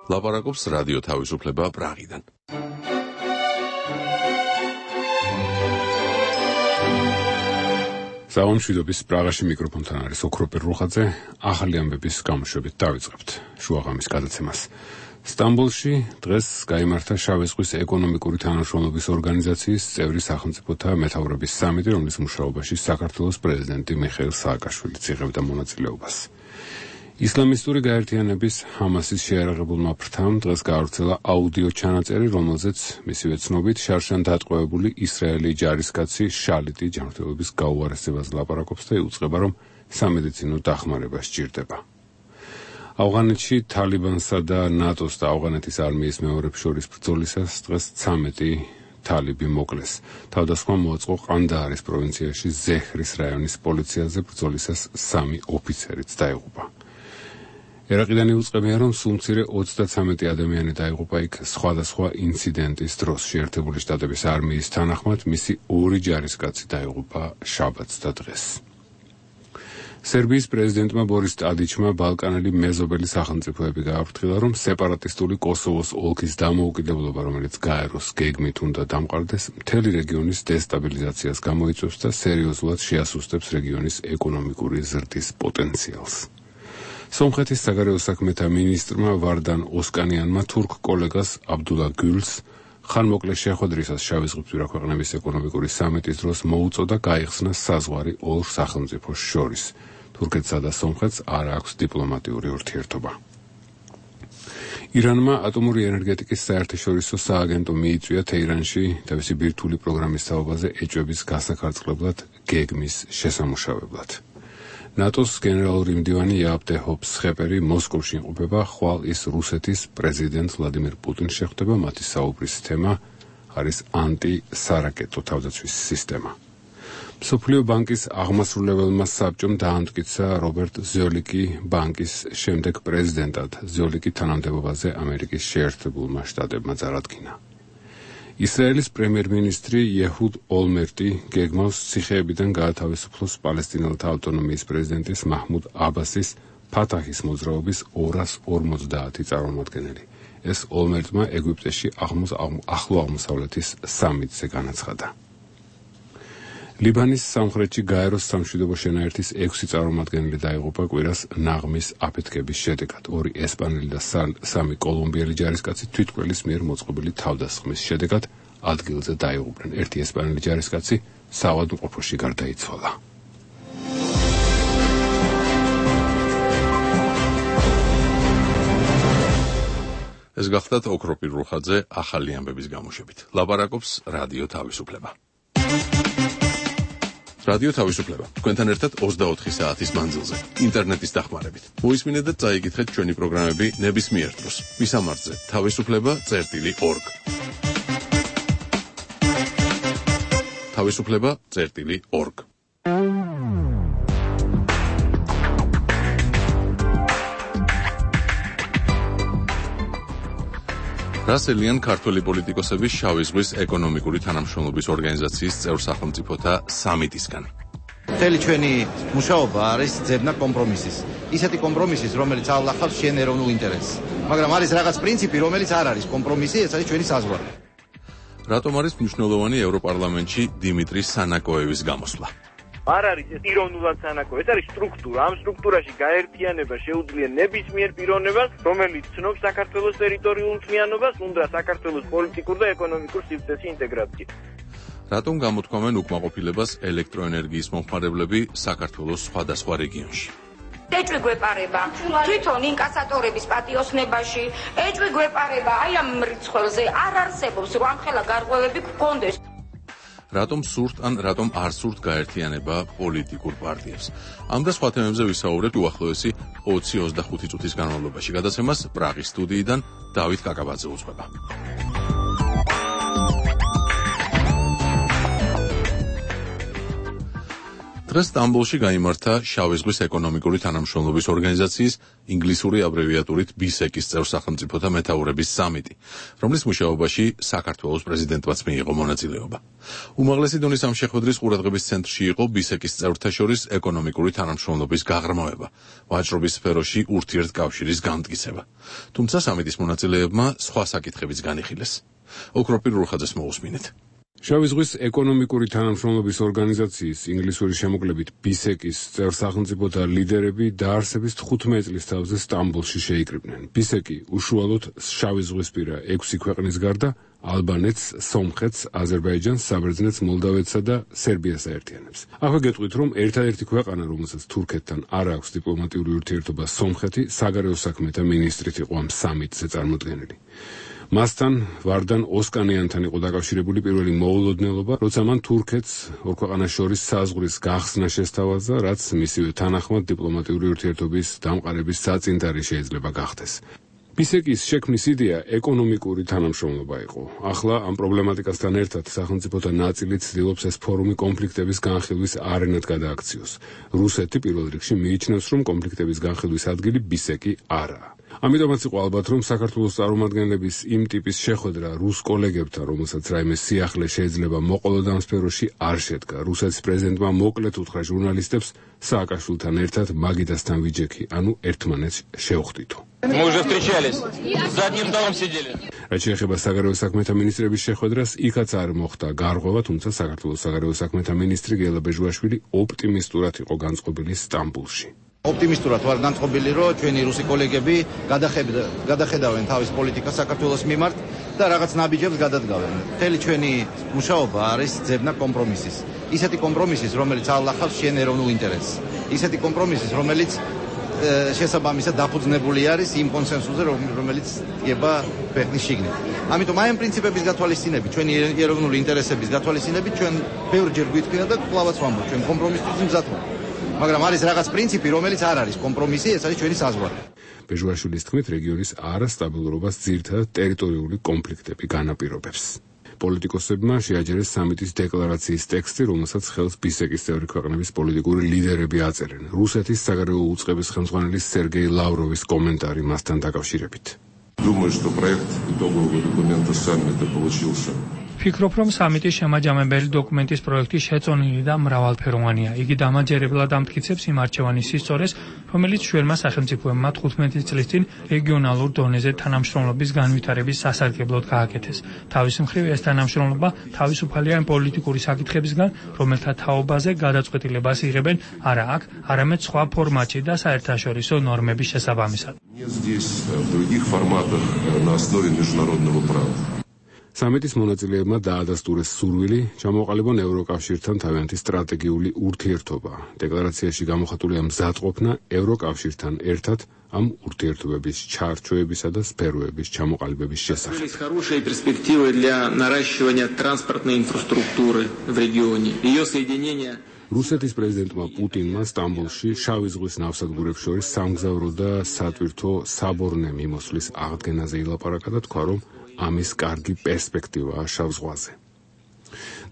ლაპარაკობს რადიო თავისუფლება პრაღიდან. საომშვიდობის პრაღაში მიკროფონთან არის ოქროპირ რუხაძე. ახალი ამბების გამოშვებით დავიწყებთ შუაღამის გადაცემას. სტამბოლში დღეს გაიმართა შავი ზღვის ეკონომიკური თანამშრომლობის ორგანიზაციის წევრი სახელმწიფოთა მეთაურების სამიტი, რომლის მუშაობაში საქართველოს პრეზიდენტი მიხეილ სააკაშვილიც იღებდა მონაწილეობას. ისლამისტური გაერთიანების ჰამასის შეიარაღებულმა ფრთამ დღეს გაავრცელა აუდიო ჩანაწერი, რომელზეც მისივე ცნობით შარშან დატყვევებული ისრაელი ჯარისკაცი შალიტი ჯანმრთელობის გაუარესებას ლაპარაკობს და იუწყება, რომ სამედიცინო დახმარება სჭირდება. ავღანეთში თალიბანსა და ნატოს და ავღანეთის არმიის მეომრებს შორის ბრძოლისას დღეს 13 თალიბი მოკლეს. თავდასხმა მოაწყო ყანდაარის პროვინციაში ზეჰრის რაიონის პოლიციაზე, ბრძოლისას 3 ოფიცერიც დაიღუპა. ერაყიდან იუწყებია, რომ სულ მცირე 33 ადამიანი დაიღუპა იქ სხვადასხვა ინციდენტის დროს. შეერთებული შტატების არმიის თანახმად მისი 2 ჯარისკაცი დაიღუპა შაბათს და დღეს. სერბიის პრეზიდენტმა ბორის ტადიჩმა ბალკანელი მეზობელი სახელმწიფოები გააფრთხილა, რომ სეპარატისტული კოსოვოს ოლქის დამოუკიდებლობა, რომელიც გაეროს გეგმით უნდა დამყარდეს, მთელი რეგიონის დესტაბილიზაციას გამოიწვევს და სერიოზულად შეასუსტებს რეგიონის ეკონომიკური ზრდის პოტენციალს. სომხეთის საგარეო საქმეთა მინისტრმა ვარდან ოსკანიანმა თურქ კოლეგას აბდულა გულს ხანმოკლე შეხვედრისას შავი ზღვისპირა ქვეყნების ეკონომიკური სამიტის დროს მოუწოდა გაიხსნა საზღვარი ორ სახელმწიფოს შორის. თურქეთსა და სომხეთს არ აქვს დიპლომატიური ურთიერთობა. ირანმა ატომური ენერგეტიკის საერთაშორისო სააგენტო მიიწვია თეირანში თავისი ბირთვული პროგრამის თაობაზე ეჭვების გასახარწყლებლად გეგმის შესამუშავებლად. ნატოს გენერალური მდივანი იაპტე ჰოფსხეპერი მოსკოვში იმყოფება, ხვალ ის რუსეთის პრეზიდენტ ვლადიმირ პუტინს შეხვდება. მათი საუბრის თემა არის ანტი-სარაკეტო თავდაცვის სისტემა. მსოფლიო ბანკის აღმასრულებელმა საბჭომ დაამტკიცა რობერტ ზოლიკი ბანკის შემდეგ პრეზიდენტად. ზოლიკი თანამდებობაზე ამერიკის შეერთებულმა შტატებმა წარადგინა. ისრაელის პრემიერ-მინისტრი იეჰუდ ოლმერტი გეგმავს ციხეებიდან გაათავისუფლოს პალესტინელთა ავტონომიის პრეზიდენტის მაჰმუდ აბასის ფათაჰის მოძრაობის 250 წარმომადგენელი. ეს ოლმერტმა ეგვიპტეში ახლო აღმოსავლეთის სამიტზე განაცხადა. ლიბანის სამხრეთში გაეროს სამშვიდობო შენაერთის 6 წარმომადგენელი დაიღუპა კვირას ნაღმის აფეთქების შედეგად. 2 ესპანელი და 3 კოლუმბიელი ჯარისკაცი თვითმკვლელის მიერ მოწყობილი თავდასხმის შედეგად ადგილზე დაიღუპნენ. 1 ესპანელი ჯარისკაცი საავადმყოფოში გარდაიცვალა. ეს გახლდათ ოქროპირ რუხაძე ახალი ამბების გამოშვებით. ლაპარაკობს რადიო თავისუფლება. რადიო თავისუფლება. თქვენთან ერთად 24 საათის მანძილზე, ინტერნეტის დახმარებით. მოისმინეთ და წაიკითხეთ ჩვენი პროგრამები ნებისმიერ დროს. მისამართზე თავისუფლება.org. თავისუფლება.org. რასელიან ქართველი პოლიტიკოსების შავი ზღვის ეკონომიკური თანამშრომლობის ორგანიზაციის წევრ სახელმწიფოთა სამიტისგან. მთელი ჩვენი მუშაობა არის ძებნა კომპრომისის. ისეთი კომპრომისის, რომელიც ავლახავს შენ ეროვნულ ინტერესს. მაგრამ არის რაღაც პრინციპი, რომელიც არ არის კომპრომისი, ეს არის ჩვენი საზღვარი. რატომ არის მნიშვნელოვანი ევროპარლამენტში დიმიტრი სანაკოევის გამოსვლა? არ არის ეს პიროვნულად სანაკო, ეს არის სტრუქტურა. ამ სტრუქტურაში გაერთიანება შეუძლია ნებისმიერ პიროვნებას, რომელიც ცნობს საქართველოს ტერიტორიულ მთლიანობას, უნდა საქართველოს პოლიტიკურ და ეკონომიკურ სივრცეში ინტეგრაცია. რატომ გამოთქვამენ უკმაყოფილებას ელექტროენერგიის მომხმარებლები საქართველოს სხვადასხვა რეგიონში? ეჭვი გვეპარება თვითონ ინკასატორების პატიოსნებაში, ეჭვი გვეპარება აი ამ მრიცხველზე არ არსებობს, რომ ამხელა გარღვევები გქონდეს. რატომ სურთ ან რატომ არ სურთ გაერთიანება პოლიტიკურ პარტიებს? ამ და სხვა თემებზე ვისაუბრებთ უახლოესი 20-25 წუთის განმავლობაში. გადაცემას პრაღის სტუდიიდან დავით კაკაბაძე უძღვება. დღეს სტამბოლში გაიმართა შავი ზღვის ეკონომიკური თანამშრომლობის ორგანიზაციის ინგლისური აბრევიატურით BISEC-ის წევრ სახელმწიფოთა მეთაურების სამიტი, რომლის მუშაობაში საქართველოს პრეზიდენტმაც მიიღო მონაწილეობა. უმაღლესი დონის ამ შეხვედრის ყურადღების ცენტრში იყო BISEC-ის წევრთა შორის ეკონომიკური თანამშრომლობის გაღრმავება, ვაჭრობის სფეროში ურთიერთკავშირის განმტკიცება. თუმცა სამიტის მონაწილეებმა სხვა საკითხებიც განიხილეს. ოქროპირ რუხაძეს მოусმინეთ. შავი ზღვის ეკონომიკური თანამშრომლობის ორგანიზაციის ინგლისური შემოკლებით BISEC-ის წევრ სახელმწიფოთა ლიდერები დაარსების 15 წლის თავზე სტამბოლში შეიკრიბნენ. BISEC-ი უშუალოდ შავი ზღვისპირა 6 ქვეყნის გარდა ალბანეთს, სომხეთს, აზერბაიჯანს, საბერძნეთს, მოლდავეთსა და სერბიას აერთიანებს. ახლა გეტყვით, რომ ერთადერთი ქვეყანა, რომელსაც თურქეთთან არ აქვს დიპლომატიური ურთიერთობა, სომხეთი, საგარეო საქმეთა მინისტრით იყო ამ სამიტზე წარმოდგენილი. მასთან ვარდან ოსკანიანთან იყო დაკავშირებული პირველი მოულოდნელობა, როცა მან თურქეთს ორ ქვეყანას შორის საზღვრის გახსნა შესთავაზა, რაც მისივე თანახმად დიპლომატიური ურთიერთობის დამყარების საწინდარი შეიძლება გახდეს. BISEC-ის შექმნის იდეა ეკონომიკური თანამშრომლობა იყო. ახლა ამ პრობლემატიკასთან ერთად სახელმწიფოთა ნაწილი ცდილობს ეს ფორუმი კონფლიქტების განხილვის არენად გადააქციოს. რუსეთი პირველ რიგში მიიჩნევს, რომ კონფლიქტების განხილვის ადგილი BISEC-ი არაა. ამიტომაც იყო ალბათ, რომ საქართველოს წარმომადგენლების იმ ტიპის შეხვედრა რუს კოლეგებთან, რომელსაც რაიმე სიახლე შეიძლება მოყოლოდ ამ სფეროში, არ შედგა. რუსეთის პრეზიდენტმა მოკლედ უთხრა ჟურნალისტებს სააკაშვილთან ერთად მაგიდასთან ვიჯექი, ანუ ერთმანეთს შევხვდითო. რაც შეეხება საგარეო საქმეთა მინისტრების შეხვედრას, იქაც არ მოხდა გარღვევა, თუმცა საქართველოს საგარეო საქმეთა მინისტრი გელა ბეჟუაშვილი ოპტიმისტურად იყო განწყობილი სტამბოლში. ოპტიმისტურად ვარ განწყობილი, რომ ჩვენი რუსი კოლეგები გადახედავენ თავის პოლიტიკას საქართველოს მიმართ და რაღაც ნაბიჯებს გადადგავენ. მთელი ჩვენი მუშაობა არის ძებნა კომპრომისის. ისეთი კომპრომისის, რომელიც ავლახავს შენ ეროვნულ ინტერესს. ისეთი კომპრომისის, რომელიც შესაბამისად დაფუძნებული არის იმ კონსენსუსზე, რომელიც დგება ქვეყნის შიგნით. ამიტომ აი ამ პრინციპების გათვალისწინებით, ჩვენი ეროვნული ინტერესების გათვალისწინებით, ჩვენ ბევრჯერ გვიტყვია და კვლავაც ვამბობ, ჩვენ კომპრომისის მზად ვართ. მაგრამ არის რაღაც პრინციპი, რომელიც არ არის კომპრომისი, ეს არის ჩვენი საზღვარი. ბეჟუაშვილის თქმით, რეგიონის არასტაბილურობას ძირითადად ტერიტორიული კონფლიქტები განაპირობებს. პოლიტიკოსებმა შეაჯერეს სამიტის დეკლარაციის ტექსტი, რომელსაც ხელს BISEC-ის წევრი ქვეყნების პოლიტიკური ლიდერები აწერენ. რუსეთის საგარეო უწყების ხელმძღვანელის სერგეი ლავროვის კომენტარი მასთან დაკავშირებით. Думаю, что проект итогового документа саммита получился. Ფიქრობ, რომ სამიტის შემაჯამებელი დოკუმენტის პროექტი შეწონილი და მრავალფეროვანია. იგი დამაჯერებლად ამტკიცებს იმ არჩევანის სისწორეს, რომელიც შუერმა სახელმწიფოებმა 15 წლის წინ რეგიონალურ დონეზე თანამშრომლობის განვითარების სასარგებლოდ გააკეთეს. თავის მხრივ ეს თანამშრომლობა თავისუფალია იმ პოლიტიკური საკითხებისგან, რომელთა თაობაზე გადაწყვეტილებას იღებენ არა აქ, არამედ სხვა ფორმატში და საერთაშორისო ნორმების შესაბამისად. სამიტის მონაწილეებმა დაადასტურეს სურვილი ჩამოყალიბონ ევროკავშირთან თავიანთი სტრატეგიული ურთიერთობა. დეკლარაციაში გამოხატულია მზადყოფნა ევროკავშირთან ერთად ამ ურთიერთობების ჩარჩოებისა და სფეროების ჩამოყალიბების შესახებ. Хорошая перспектива для наращивания транспортной инфраструктуры в регионе. Ее соединение რუსეთის პრეზიდენტმა პუტინმა სტამბოლში შავი ზღვის ნავსადგურებს შორის სამგზავრო და სატვირთო საბორნე მიმოსვლის აღდგენაზე ილაპარაკა და თქვა, რომ ამის კარგი პერსპექტივაა შავ ზღვაზე.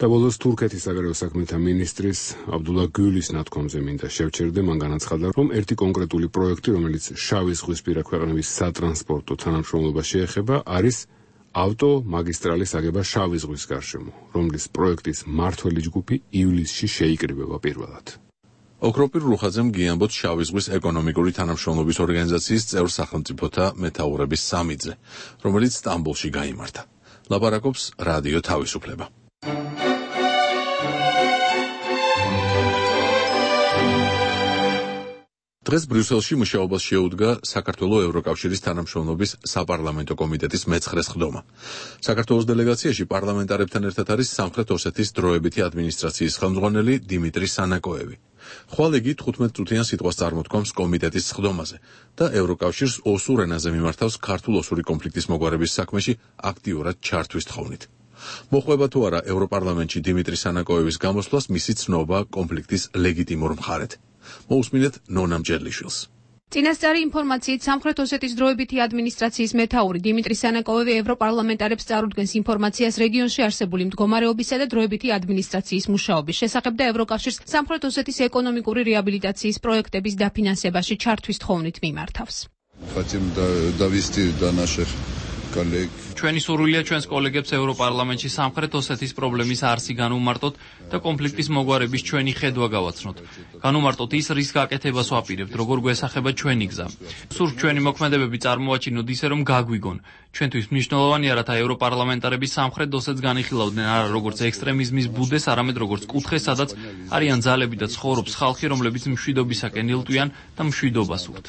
და ბოლოს თურქეთის საგარეო საქმეთა მინისტრის აბდულა გულის ნათქვამზე მინდა შევჩერდე, მან განაცხადა, რომ ერთი კონკრეტული პროექტი, რომელიც შავი ზღვისპირა ქვეყნების სატრანსპორტო თანამშრომლობას შეეხება, არის ავტომაგისტრალის აგება შავი ზღვის გარშემო, რომლის პროექტის მმართველი ჯგუფი ივლისში შეიკრიბება პირველად. ოქროპირ რუხაძემ გიამბოთ შავი ზღვის ეკონომიკური თანამშრომლობის ორგანიზაციის წევრ სახელმწიფოთა მეთაურების სამიტზე, რომელიც სტამბოლში გაიმართა. ლაპარაკობს რადიო თავისუფლება. დღეს ბრიუსელში მუშაობას შეუდგა საქართველოს ევროკავშირის თანამშრომლობის საპარლამენტო კომიტეტის მე-9 ხდომა. საქართველოს დელეგაციაში პარლამენტარებთან ერთად არის სამხრეთ ოსეთის დროებითი ადმინისტრაციის ხელმძღვანელი დიმიტრი სანაკოევი. ხვალ იგი 15 წუთიან სიტყვას წარმოთქვამს კომიტეტის ხდომაზე და ევროკავშირს ოსურ ენაზე მიმართავს ქართულ-ოსური კონფლიქტის მოგვარების საქმეში აქტიურად ჩართვის თხოვნით. მოხვება თუ არა ევროპარლამენტში დიმიტრი სანაკოევის გამოსვლას მისი ცნობა კონფლიქტის ლეგიტიმურ მხარედ. მოусმინეთ ნონა მჭედლიშვილს. წინასწარი ინფორმაციით სამხრეთ ოსეთის დროებითი ადმინისტრაციის მეთაური დიმიტრი სანაკოვი ევროპარლამენტარებს წარუდგენს ინფორმაციას რეგიონში არსებული მდგომარეობისა და დროებითი ადმინისტრაციის მუშაობის შესახებ და ევროკავშირს სამხრეთ ოსეთის ეკონომიკური რეაბილიტაციის პროექტების დაფინანსებაში ჩართვის თხოვნით მიმართავს. ჩვენი სურვილია ჩვენს კოლეგებს ევროპარლამენტში სამხრეთ ოსეთის პრობლემის არსი განუმარტოთ და კონფლიქტის მოგვარების ჩვენი ხედვა გავაცნოთ. განუმარტოთ ის, რის გაკეთებას ვაპირებთ, როგორ გვესახება ჩვენი გზა. სურთ ჩვენი მოქმედებები წარმოვაჩინოთ ისე, რომ გაგვიგონ. ჩვენთვის მნიშვნელოვანია, რათა ევროპარლამენტარები სამხრეთ ოსეთს განიხილავდნენ არა როგორც ექსტრემიზმის ბუდეს, არამედ როგორც კუთხეს, სადაც არიან ძალები და ცხოვრობს ხალხი, რომლებიც მშვიდობისაკენ ილტვიან და მშვიდობას უხდ.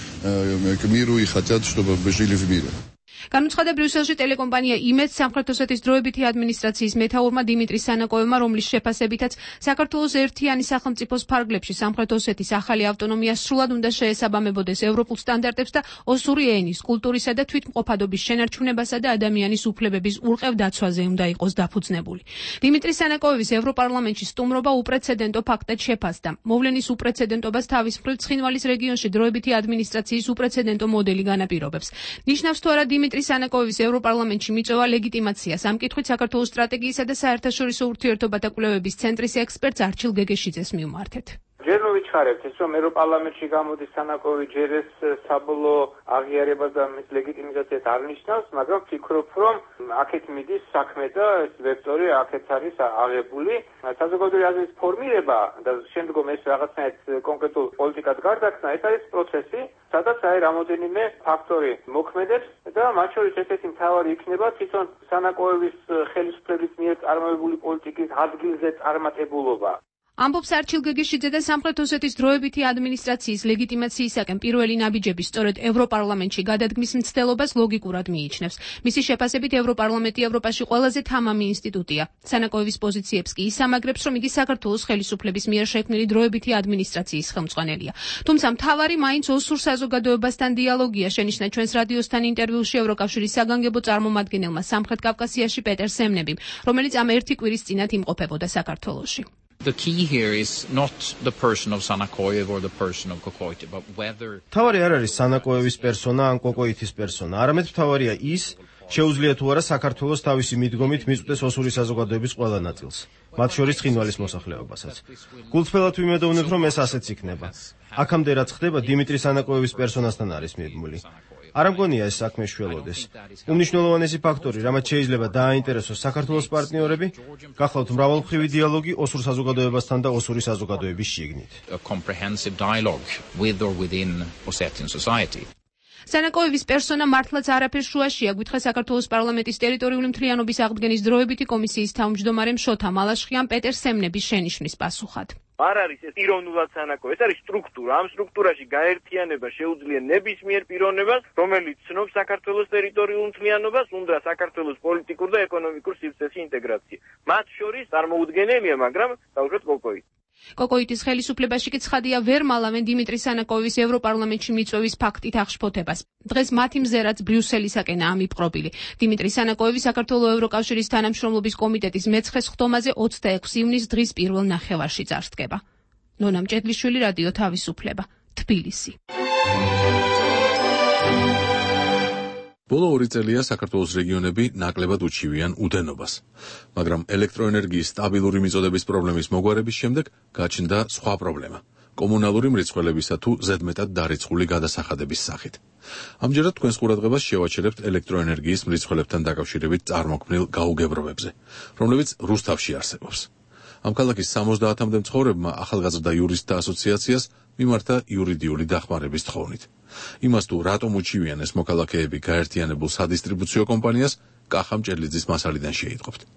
განუცხადა ბრიუსელში ტელეკომპანია იმედს სამხრეთ ოსეთის დროებითი ადმინისტრაციის მეთაურმა დიმიტრი სანაკოვმა, რომლის შეფასებითაც საქართველოს ერთიანი სახელმწიფოს ფარგლებში სამხრეთ ოსეთის ახალი ავტონომია სრულად უნდა შეესაბამებოდეს ევროპულ სტანდარტებს და ოსური ენის, კულტურისა და თვითმყოფადობის შენარჩუნებასა და ადამიანის უფლებების ურყევ დაცვაზე უნდა იყოს დაფუძნებული. დიმიტრი სანაკოვის ევროპარლამენტში სტუმრობა უპრეცედენტო ფაქტად შეფასდა. მოვლენის უპრეცედენტობას თავის მხრივ ცხინვალის რეგიონში დროებითი ადმინისტრაციის უპრეცედენტო მოდელი განაპირობებს. ნიშნავს თუ არა დიმიტრი სანაკოვის ევროპარლამენტში მიწვევა ლეგიტიმაციას. ამ კითხვით საქართველოს სტრატეგიისა და საერთაშორისო ურთიერთობათა კვლევების ცენტრის ექსპერტს არჩილ გეგეშიძეს მივმართეთ. ჯერ რომ ვიჩქარებთ ის, რომ ევროპარლამენტში გამოდის სანაკოვი ჯერ ეს საბოლოო აღიარებას და მის ლეგიტიმიზაციას არ ნიშნავს, მაგრამ ვფიქრობ, რომ აქეთ მიდის საქმე და ეს ვექტორი აქეთ არის აღებული. საზოგადოებრივი აზრის ფორმირება და შემდგომ ეს რაღაცნაირად კონკრეტულ პოლიტიკად გარდაქმნა, ეს არის პროცესი, სადაც რამოდენიმე ფაქტორი მოქმედებს და მათ შორის ერთ-ერთი მთავარი იქნება თვითონ სანაკოევის ხელისუფლების მიერ წარმოებული პოლიტიკის ადგილზე წარმატებულობა. ამბობს არჩილ გეგეშიძე და სამხრეთ ოსეთის დროებითი ადმინისტრაციის ლეგიტიმაციისაკენ პირველი ნაბიჯები სწორედ ევროპარლამენტში გადადგმის მცდელობას ლოგიკურად მიიჩნევს. მისი შეფასებით ევროპარლამენტი ევროპაში ყველაზე თამამი ინსტიტუტია. სანაკოევის პოზიციებს კი ისამაგრებს, რომ იგი საქართველოს ხელისუფლების მიერ შექმნილი დროებითი ადმინისტრაციის ხელმძღვანელია. თუმცა მთავარი მაინც ოსურ საზოგადოებასთან დიალოგია, შენიშნა ჩვენს რადიოსთან ინტერვიუში ევროკავშირის საგანგებო წარმომადგენელმა სამხრეთ კავკასიაში პეტერ სემნებიმ, რომელიც ამ ერთი კვირის წინათ იმყოფებოდა საქართველოში. The key here is not the person of Sanakoyev or the person of Kokoiti, but whether თავარი არ არის სანაკოევის პერსონა ან კოკოითის პერსონა, არამედ თავარია ის, შეუძლია თუ არა საქართველოს თავისი მიდგომით მიწვდეს ოსური საზოგადოების ყველა ნაწილს, მათ შორის ცხინვალის მოსახლეობასაც. გულწრფელად ვიმედოვნებ, რომ ეს ასეც იქნება. აქამდე რაც ხდება, დიმიტრი სანაკოევის პერსონასთან არის მიბმული. არ ამგონია ეს საქმე შველოდეს. უმნიშვნელოვანესი ფაქტორი, რამაც შეიძლება დააინტერესოს საქართველოს პარტნიორები, გახლავთ მრავალმხრივი დიალოგი ოსურ საზოგადოებასთან და ოსური საზოგადოების შიგნით. a comprehensive dialogue with or within Ossetian society. სანაკოევის პერსონა მართლაც არაფერს შუაშია, გვითხრა საქართველოს პარლამენტის ტერიტორიული მთლიანობის აღდგენის დროებითი კომისიის თავმჯდომარემ შოთა მალაშხიამ პეტერ სემნების შენიშვნის პასუხად. არ არის ეს პიროვნულად სანაკოვი, ეს არის სტრუქტურა. ამ სტრუქტურაში გაერთიანება შეუძლია ნებისმიერ პიროვნებას, რომელიც ცნობს საქართველოს ტერიტორიულ მთლიანობას, უნდა საქართველოს პოლიტიკურ და ეკონომიკურ სივრცეში ინტეგრაცია. მათ შორის წარმოუდგენელია, მაგრამ დაუშვათ კოკოიტი. კოკოიტის ხელისუფლებაში კი ცხადია ვერ მალავენ დიმიტრი სანაკოვის ევროპარლამენტში მიწვევის ფაქტით აღშფოთებას. დღეს მათი მზერაც ბრიუსელისაკენაა მიპყრობილი. დიმიტრი სანაკოევი საქართველოს ევროკავშირის თანამშრომლობის კომიტეტის მეცხრე სხდომაზე 26 ივნის დღის პირველ ნახევარში წარსდგება. ნონა მჭედლიშვილი, რადიო თავისუფლება, თბილისი. ბოლო 2 წელია საქართველოს რეგიონები ნაკლებად უჩივიან უდენობას, მაგრამ ელექტროენერგიის სტაბილური მიწოდების პრობლემის მოგვარების შემდეგ გაჩნდა სხვა პრობლემა – კომუნალური მრეწველებისა თუ ზედმეტად დარიცხული გადასახადების სახით. ამჯერად თქვენს ყურადღებას შევაჩერებთ ელექტროენერგიის მრეწველებთან დაკავშირებით წარმოქმნილ გაუგებრობებზე, რომლებიც რუსთავში არსებობს. ამ ქალაქის 70-მდე მცხოვრებმა ახალგაზრდა იურისტთა ასოციაციას მიმართა იურიდიული დახმარების თხოვნით. იმას თუ რატომ უჩივიან ეს მოქალაქეები გაერთიანებულ სადისტრიბუციო კომპანიას, კახა მჭედლიძის მასალიდან შეიტყობთ.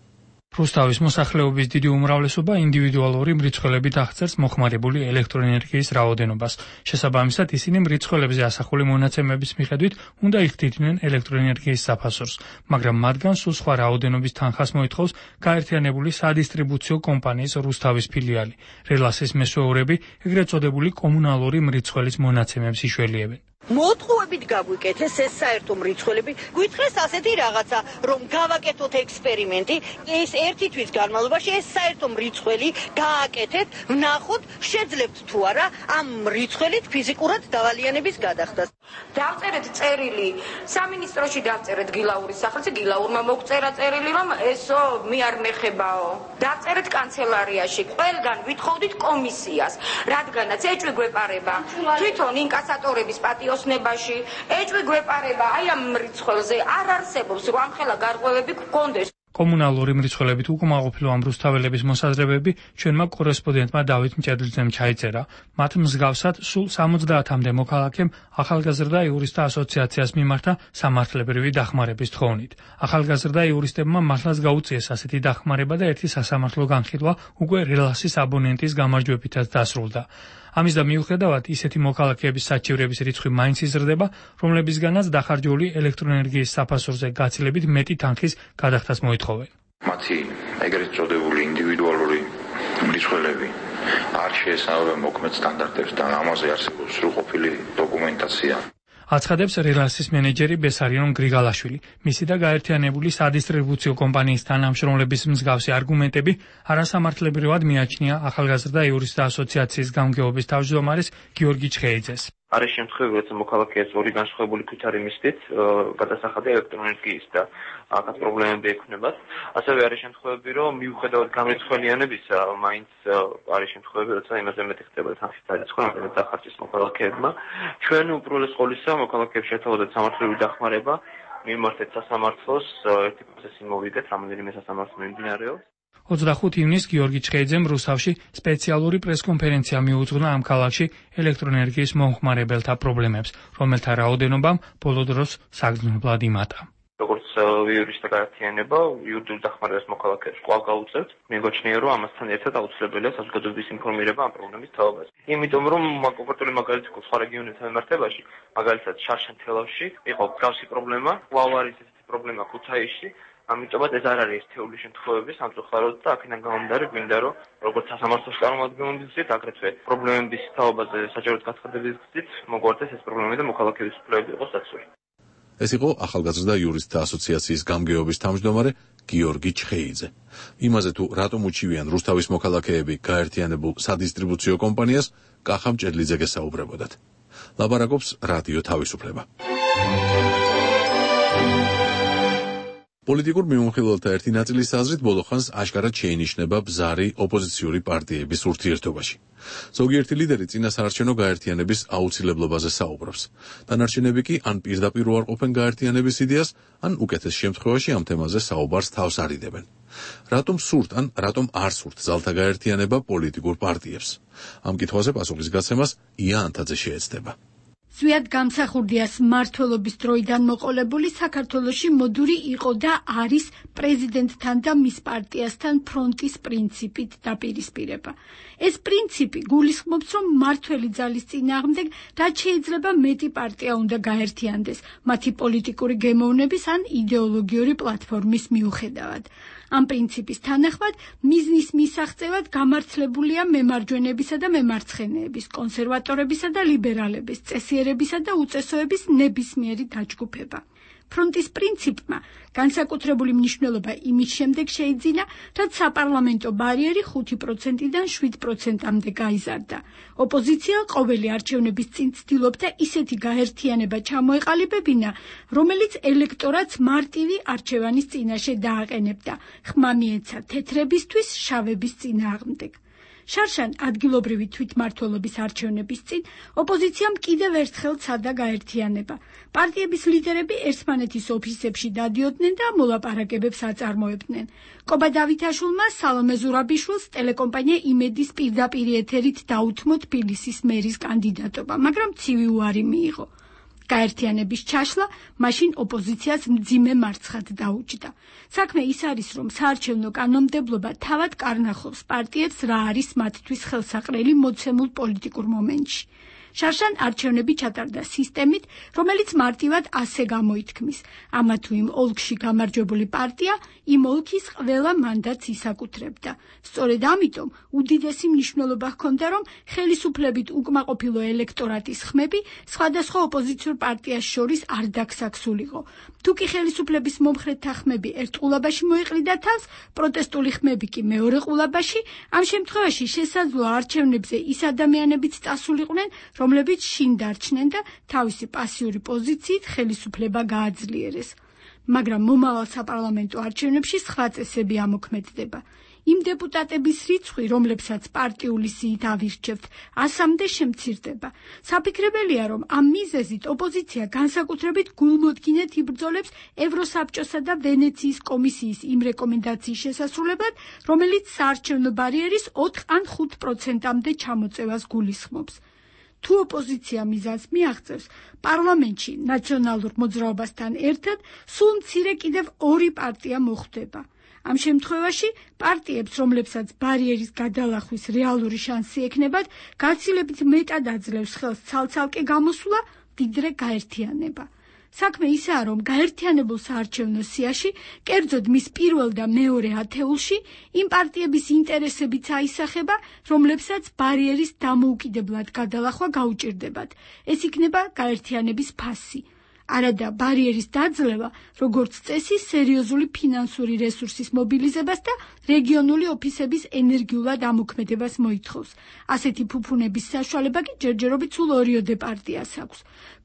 რუსთავის მოსახლეობის დიდი უმრავლესობა ინდივიდუალური მრეწველებით აღწერს მოხმარებული ელექტროენერგიის რაოდენობას. შესაბამისად, ისინი მრეწველებზე ასახული მონაცემების მიხედვით უნდა იხდიდნენ ელექტროენერგიის საფასურს, მაგრამ მათგან სულ სხვა რაოდენობის თანხას მოითხოვს გაერთიანებული სადისტრიბუციო კომპანიის რუსთავის ფილიალი. რელასის მესვეურები ეგრეთ წოდებული კომუნალური მრეწველის მონაცემებს იშველიებენ. მოტყუებით გაგვიკეთეს ეს საერთო მრიცხველები, გვითხრეს ასეთი რაღაცა, რომ გავაკეთოთ ექსპერიმენტი, ეს ერთი თვის განმავლობაში ეს საერთო მრიცხველი გააკეთეთ, ვნახოთ, შეძლებთ თუ არა ამ მრიცხველით ფიზიკურად დავალიანების გადახდას. დავწერეთ წერილი, სამინისტროში დავწერეთ გილაურის სახელზე, გილაურმა მოგწერა წერილი, რომ ესო მე არ მეხებაო. დავწერეთ კანცელარიაში, ყველგან ვითხოვდით კომისიას, რადგანაც ეჭვი გვეპარება თვითონ ინკასატორების პატიოსნებაში, ეჭვი გვეპარება აი ამ მრიცხველზე, არ არსებობს რომ ამხელა გარღვევები გქონდეს. კომუნალური მრიცხველებით უკმაყოფილო ამ რუსთაველების მოსაზრებები ჩვენმა კორესპონდენტმა დავით მჭედლიძემ ჩაიწერა. მათ მსგავსად სულ 70-მდე მოქალაქემ ახალგაზრდა იურისტთა ასოციაციას მიმართა სამართლებრივი დახმარების თხოვნით. ახალგაზრდა იურისტებმა მართლაც გაუწიეს ასეთი დახმარება და ერთი სასამართლო განხილვა უკვე რელასის აბონენტის გამარჯვებითაც დასრულდა. ამის და მიუხედავად ისეთი მოქალაქეების საჩივრების რიცხვი მაინც იზრდება, რომლებისგანაც დახარჯული ელექტროენერგიის საფასურზე გაცილებით მეტი თანხის გადახდას მოითხოვენ. მათი ეგრეთ წოდებული ინდივიდუალური მრიცხველები არ შეესაბამება მოქმედ სტანდარტებს და ამაზე არსებობს სრულყოფილი დოკუმენტაცია. აცხადებს რელასის მენეჯერი ბესარიონ გრიგალაშვილი. მისი და გაერთიანებული სადისტრიბუციო კომპანიის თანამშრომლების მსგავსი არგუმენტები არასამართლებრივად მიაჩნია ახალგაზრდა იურისტთა ასოციაციის გამგეობის თავმჯდომარეს გიორგი ჩხეიძეს. არის შემთხვევები, როცა მოქალაქეებს ორი განსხვავებული ქვითარი მისდით გადასახადი ელექტროენერგიის და აქაც პრობლემები ექნებათ. ასევე არის შემთხვევები, რომ მიუხედავად გამრიცხველიანებისა, მაინც არის შემთხვევები, როცა იმაზე მეტი ხდება თანხის დარიცხვა, რომელიც დახარჯეს მოქალაქეებმა. ჩვენ უპირველეს ყოვლისა მოქალაქეებს შეთავაზეთ სამართლებრივი დახმარება, მიმართეთ სასამართლოს, ერთი პროცესი მოვიგეთ, რამდენიმე სასამართლო მიმდინარეობს. 25 ივნისს გიორგი ჩხეიძემ რუსთავში სპეციალური პრესკონფერენცია მიუძღვნა ამ ქალაქში ელექტროენერგიის მომხმარებელთა პრობლემებს, რომელთა რაოდენობამ ბოლო დროს საგრძნობლად იმატა. როგორც იურისტთა გაერთიანება, იურიდიულ დახმარებას მოქალაქეებს კვლავ გაუწევთ. მეგოჩნია, რომ ამასთან ერთად აუცილებელია საზოგადოების ინფორმირება ამ პრობლემის თაობაზე. იმიტომ რომ კონკრეტული მაგალითი სხვა რეგიონებთან მიმართებაში, მაგალითად შარშან თელავში იყო მსგავსი პრობლემა, კვლავ არის ესეთი პრობლემა ქუთაისში. ამიტომაც ეს არ არის ერთეული შემთხვევები სამწუხაროდ და აქედან გამომდინარე გვინდა რომ როგორც სასამართლოს წარმომადგენლობის გზით, აგრეთვე პრობლემების თაობაზე საჯაროდ გაცხადების გზით მოგვარდეს ეს პრობლემები და მოქალაქეების უფლებები იყოს დაცული. ეს იყო ახალგაზრდა იურისტთა ასოციაციის გამგეობის თავმჯდომარე გიორგი ჩხეიძე. იმაზე თუ რატომ უჩივიან რუსთავის მოქალაქეები გაერთიანებულ სადისტრიბუციო კომპანიას, კახა მჭედლიძე გესაუბრებოდათ. ლაპარაკობს რადიო თავისუფლება. პოლიტიკურ მიმოხილველთა ერთი ნაწილის აზრით ბოლოხანს აშკარად შეინიშნება ბზარი ოპოზიციური პარტიების ურთიერთობაში. ზოგიერთი ლიდერი წინასაარჩევნო გაერთიანების აუცილებლობაზე საუბრობს. დანარჩენები კი ან პირდაპირ უარყოფენ გაერთიანების იდეას, ან უკეთეს შემთხვევაში ამ თემაზე საუბარს თავს არიდებენ. რატომ სურთ ან რატომ არ სურთ ძალთა გაერთიანება პოლიტიკურ პარტიებს? ამ კითხვაზე პასუხის გაცემას ია ანთაძე შეეცდება. ზვიად გამსახურდიას მმართველობის დროიდან მოყოლებული საქართველოში მოდური იყო და არის პრეზიდენტთან და მის პარტიასთან ფრონტის პრინციპით დაპირისპირება. ეს პრინციპი გულისხმობს, რომ მმართველი ძალის წინააღმდეგ რაც შეიძლება მეტი პარტია უნდა გაერთიანდეს, მათი პოლიტიკური გემოვნების ან იდეოლოგიური პლატფორმის მიუხედავად. ამ პრინციპის თანახმად მიზნის მისაღწევად გამართლებულია მემარჯვენებისა და მემარცხენეების, კონსერვატორებისა და ლიბერალების, წესიერებისა და უწესოების ნებისმიერი დაჯგუფება. ფრონტის პრინციპმა განსაკუთრებული მნიშვნელობა იმის შემდეგ შეიძინა, რაც საპარლამენტო ბარიერი 5%-დან 7%-მდე გაიზარდა. ოპოზიცია ყოველი არჩევნების წინ ცდილობდა ისეთი გაერთიანება ჩამოეყალიბებინა, რომელიც ელექტორატს მარტივი არჩევანის წინაშე დააყენებდა, ხმა მიეცა თეთრებისთვის შავების წინააღმდეგ. შარშან ადგილობრივი თვითმმართველობის არჩევნების წინ ოპოზიციამ კიდევ ერთხელ ცადა გაერთიანება. პარტიების ლიდერები ერთმანეთის ოფისებში დადიოდნენ და მოლაპარაკებებს აწარმოებდნენ. კობა დავითაშვილმა სალომე ზურაბიშვილს ტელეკომპანია იმედის პირდაპირ ეთერით დაუთმო თბილისის მერის კანდიდატობა, მაგრამ ცივი უარი მიიღო. გაერთიანების ჩაშლა მაშინ ოპოზიციას მძიმე მარცხად დაუჯდა. საქმე ის არის, რომ საარჩევნო კანონმდებლობა თავად კარნახობს პარტიებს რა არის მათთვის ხელსაყრელი მოცემულ პოლიტიკურ მომენტში. შარშან არჩევნები ჩატარდა სისტემით, რომელიც მარტივად ასე გამოითქმის: ამა თუ იმ ოლქში გამარჯვებული პარტია იმ ოლქის ყველა მანდატს ისაკუთრებდა. სწორედ ამიტომ უდიდესი მნიშვნელობა ჰქონდა, რომ ხელისუფლებით უკმაყოფილო ელექტორატის ხმები სხვადასხვა ოპოზიციურ პარტიას შორის არ დაგსაქსულიყო. თუ კი ხელისუფლების მომხრეთა ხმები ერთ ყულაბაში მოეყრიდა თავს, პროტესტული ხმები კი მეორე ყულაბაში, ამ შემთხვევაში შესაძლოა არჩევნებზე ის ადამიანებიც წასულიყვნენ, რომლებიც შინ დარჩნენ და თავისი პასიური პოზიციით ხელისუფლება გააძლიერეს. მაგრამ მომავალ საპარლამენტო არჩევნებში სხვა წესები ამოქმედდება. იმ დეპუტატების რიცხვი, რომლებსაც პარტიული სიით ავირჩევთ, 100-მდე შემცირდება. საფიქრებელია, რომ ამ მიზეზით ოპოზიცია განსაკუთრებით გულმოდგინედ იბრძოლებს ევროსაბჭოსა და ვენეციის კომისიის იმ რეკომენდაციის შესასრულებლად, რომელიც საარჩევნო ბარიერის 4 ან 5%-მდე ჩამოწევას გულისხმობს. თუ ოპოზიცია მიზანს მიაღწევს, პარლამენტში ნაციონალურ მოძრაობასთან ერთად სულ მცირე კიდევ 2 პარტია მოხვდება. ამ შემთხვევაში პარტიებს, რომლებსაც ბარიერის გადალახვის რეალური შანსი ექნებათ, გაცილებით მეტად აძლევს ხელს ცალ-ცალკე გამოსვლა, ვიდრე გაერთიანება. საქმე ისაა, რომ გაერთიანებულ საარჩევნო სიაში, კერძოდ მის პირველ და მეორე ათეულში, იმ პარტიების ინტერესებიც აისახება, რომლებსაც ბარიერის დამოუკიდებლად გადალახვა გაუჭირდებათ. ეს იქნება გაერთიანების ფასი. არადა ბარიერის დაძლევა, როგორც წესი, სერიოზული ფინანსური რესურსის მობილიზებას და რეგიონული ოფისების ენერგიულად ამოქმედებას მოითხოვს. ასეთი ფუფუნების საშუალება კი ჯერჯერობით სულ 2 პარტიას აქვს.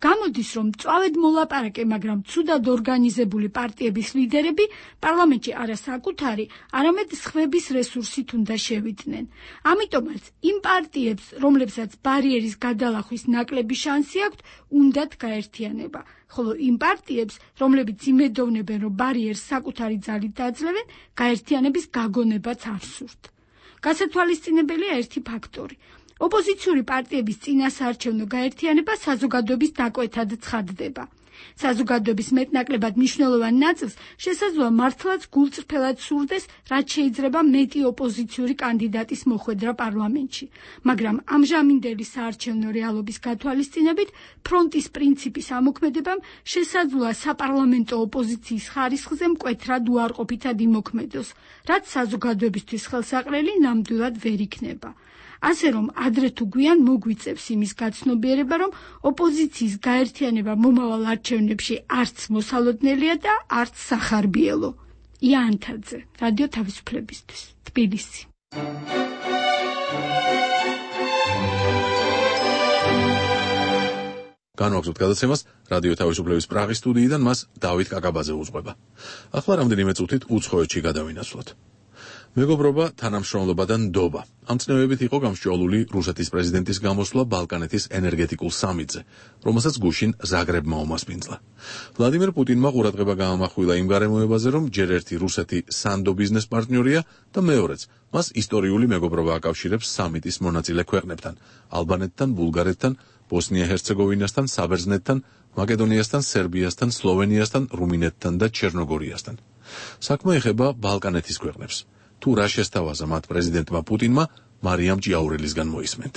გამოდის, რომ წვავედ მოლაპარაკე, მაგრამ ცუდად ორგანიზებული პარტიების ლიდერები პარლამენტში არა საკუთარი, არამედ სხვების რესურსით უნდა შევიდნენ. ამიტომაც იმ პარტიებს, რომლებსაც ბარიერის გადალახვის ნაკლები შანსი აქვთ, უნდათ გაერთიანება. ხოლო იმ პარტიებს, რომლებიც იმედოვნებენ, რომ ბარიერს საკუთარი ძალით დაძლევენ, გაერთიანების გაგონებაც არ სურთ. გასათვალისწინებელია ერთი ფაქტორი. ოპოზიციური პარტიების წინასაარჩევნო გაერთიანება საზოგადოების დაკვეთად ცხადდება. საზოგადოების მეტნაკლებად მნიშვნელოვან ნაწილს შესაძლოა მართლაც გულწრფელად სურდეს, რაც შეიძლება მეტი ოპოზიციური კანდიდატის მოხვედრა პარლამენტში. მაგრამ ამჟამინდელი საარჩევნო რეალობის გათვალისწინებით, ფრონტის პრინციპის ამოქმედებამ შესაძლოა საპარლამენტო ოპოზიციის ხარისხზე მკვეთრად უარყოფითად იმოქმედოს, რაც საზოგადოებისთვის ხელსაყრელი ნამდვილად ვერ იქნება. ასე რომ ადრე თუ გვიან მოგვიწევს იმის გაცნობიერება, რომ ოპოზიციის გაერთიანება მომავალ არჩევნებში არც მოსალოდნელია და არც სახარბიელო. ია ანთაძე, რადიო თავისუფლებისთვის, თბილისი. განვაგრძობთ გადაცემას რადიო თავისუფლების პრაღის სტუდიიდან, მას დავით კაკაბაძე უძღვება. ახლა რამდენიმე წუთით უცხოეთში გადავინაცვლოთ. მეგობრობა, თანამშრომლობა და ნდობა. ამ წნევებით იყო გამსჭვალული რუსეთის პრეზიდენტის გამოსვლა ბალკანეთის ენერგეტიკულ სამიტზე, რომელსაც გუშინ ზაგრებმა უმასპინძლა. ვლადიმერ პუტინმა ყურადღება გაამახვილა იმ გარემოებაზე, რომ ჯერ ერთი რუსეთი სანდო ბიზნეს პარტნიორია და მეორეც მას ისტორიული მეგობრობა აკავშირებს სამიტის მონაწილე ქვეყნებთან, ალბანეთთან, ბულგარეთთან, ბოსნია-ჰერცეგოვინასთან, საბერძნეთთან, მაკედონიასთან, სერბიასთან, სლოვენიასთან, რუმინეთთან და ჩერნოგორიასთან. საქმე ეხება ბალკანეთის ქვეყნებს. თუ რა შესთავაზა მათ პრეზიდენტმა პუტინმა, მარიამ ჭიაურელისგან მოისმენთ.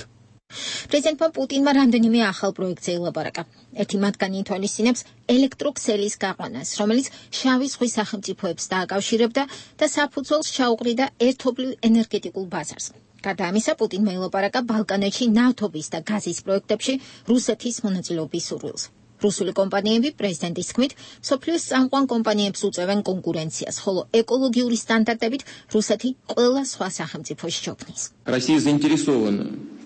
პრეზიდენტმა პუტინმა რამდენიმე ახალ პროექტზე ელაპარაკა. ერთი მათგანი ითვალისწინებს ელექტროქსელის გაყვანას, რომელიც შავი ზღვის სახელმწიფოებს დააკავშირებდა და საფუძველს ჩაუყრიდა ერთობლივ ენერგეტიკულ ბაზარს. გარდა ამისა, პუტინმა ელაპარაკა ბალკანეთში ნავთობის და გაზის პროექტებში რუსეთის მონაწილეობის სურვილს. რუსული კომპანიები პრეზიდენტის თქმით, მსოფლიოს წამყვან კომპანიებს უწევენ კონკურენციას, ხოლო ეკოლოგიური სტანდარტებით რუსეთი ყველა სხვა სახელმწიფოში ჩოქმნის.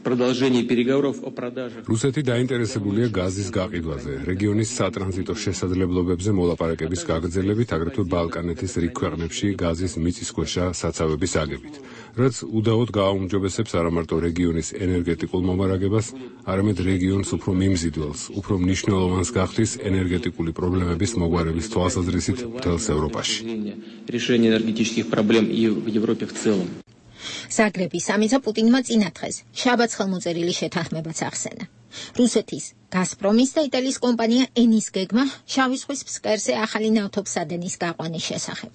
რუსეთი დაინტერესებულია გაზის გაყიდვაზე, რეგიონის სატრანზიტო შესაძლებლობებზე მოლაპარაკების გაგრძელებით, აგრეთვე ბალკანეთის რიგ ქვეყნებში გაზის მიწისქვეშა საცავების აგებით, რაც უდაოდ გააუმჯობესებს არამარტო რეგიონის ენერგეტიკულ მომარაგებას, არამედ რეგიონს უფრო მიმზიდველს, უფრო მნიშვნელოვანს გახდის ენერგეტიკული პრობლემების მოგვარების თვალსაზრისით მთელს ევროპაში. ზაგრების სამიტზე პუტინმა წინა დღეს შაბათს ხელმოწერილი შეთანხმებაც ახსენა. რუსეთის გაზპრომის და იტალიის კომპანია ენის გეგმა შავი ზღვის ფსკერზე ახალი ნავთობსადენის გაყვანის შესახებ.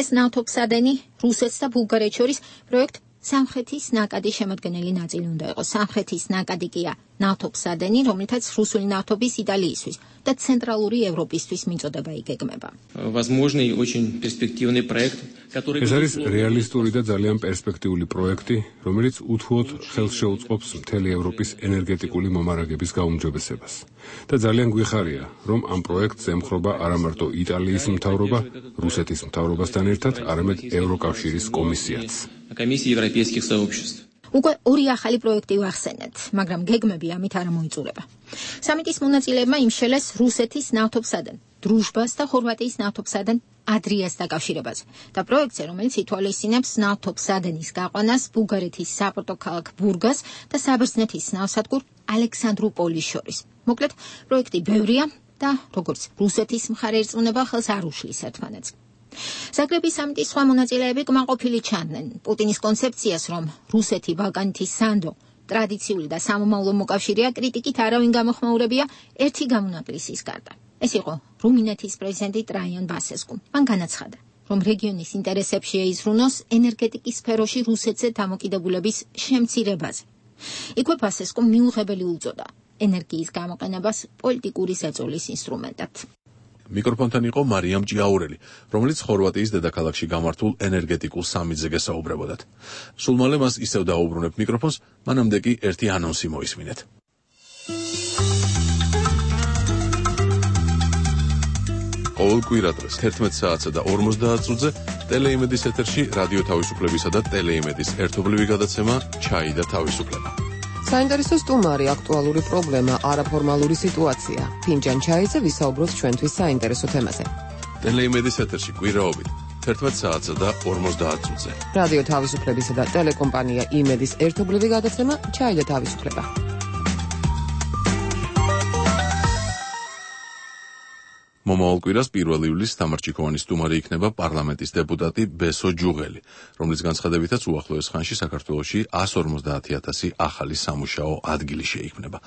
ეს ნავთობსადენი რუსეთს და ბულგარეთს შორის პროექტ სამხრეთის ნაკადის შემადგენელი ნაწილი უნდა იყოს. სამხრეთის ნაკადი კია ნავთობსადენი, რომლითაც რუსული ნავთობის იტალიისთვის და ცენტრალური ევროპისთვის მიწოდება იგეგმება. Возможный очень перспективный проект, который ეს არის რეალისტური და ძალიან პერსპექტიული პროექტი, რომელიც უთუოდ ხელს შეუწყობს მთელი ევროპის ენერგეტიკული მომარაგების გაუმჯობესებას. და ძალიან გვიხარია, რომ ამ პროექტს ემხრობა არა მარტო იტალიის მთავრობა, რუსეთის მთავრობასთან ერთად, არამედ ევროკავშირის კომისიაც. Комиссии европейских сообществ. უკვე ორი ახალი პროექტი ვახსენეთ, მაგრამ გეგმები ამით არ მოიწურება. სამიტის მონაწილეებმა იმშელეს რუსეთის ნავთობსადენ, დრუჟბას და ხორვატიის ნავთობსადენ ადრიას დაკავშირებაზე და პროექტზე, რომელიც ითვალისწინებს ნავთობსადენის გაყვანას ბულგარეთის საპორტო ქალაქ ბურგას და საბერძნეთის ნავსადგურ ალექსანდროპოლის შორის. მოკლედ, პროექტი ბევრია და როგორც რუსეთის მხარე ერწმუნება, ხელს არ უშლის ერთმანეთს. ზაგრების სამიტის სხვა მონაწილეები კმაყოფილი ჩანდნენ პუტინის კონცეფციას, რომ რუსეთი ბალკანეთის სანდო ტრადიციული და სამომავლო მოკავშირეა, კრიტიკით არავინ გამოხმაურებია ერთი გამონაკლისის გარდა. ეს იყო რუმინეთის პრეზიდენტი ტრაიან ბასესკუ. მან განაცხადა, რომ რეგიონის ინტერესებში ეიზრუნოს ენერგეტიკის სფეროში რუსეთზე დამოკიდებულების შემცირებაზე. იქვე ბასესკუმ მიუღებელი უწოდა ენერგიის გამოყენებას პოლიტიკური ზეწოლის ინსტრუმენტად. მიკროფონთან იყო მარიამ ჭიაურელი, რომელიც ხორვატიის დედაქალაქში გამართულ ენერგეტიკულ სამიტზე გესაუბრებოდათ. სულ მალე მას ისევ დაუბრუნებ მიკროფონს, მანამდე კი ერთი ანონსი მოისმინეთ. ყოველ კვირა დღეს 11 საათსა და 50 წუთზე ტელეიმედის ეთერში რადიო თავისუფლებისა და ტელეიმედის ერთობლივი გადაცემა ჩაი და თავისუფლება. საინტერესო სტუმარი, აქტუალური პრობლემა, არაფორმალური სიტუაცია. ფინჯან ჩაიზე ვისაუბროთ ჩვენთვის საინტერესო თემაზე. ტელეიმედის ეთერში კვირაობით 11 საათსა და 50 წუთზე. რადიო თავისუფლებისა და ტელეკომპანია იმედის ერთობლივი გადაცემა ჩაი და თავისუფლება. მომავალ კვირას 1 ივლისს თამარჩიქოვანის სტუმარი იქნება პარლამენტის დეპუტატი ბესო ჯუღელი, რომლის განცხადებითაც უახლოეს ხანში საქართველოში 150,000 ახალი სამუშაო ადგილი შეიქმნება.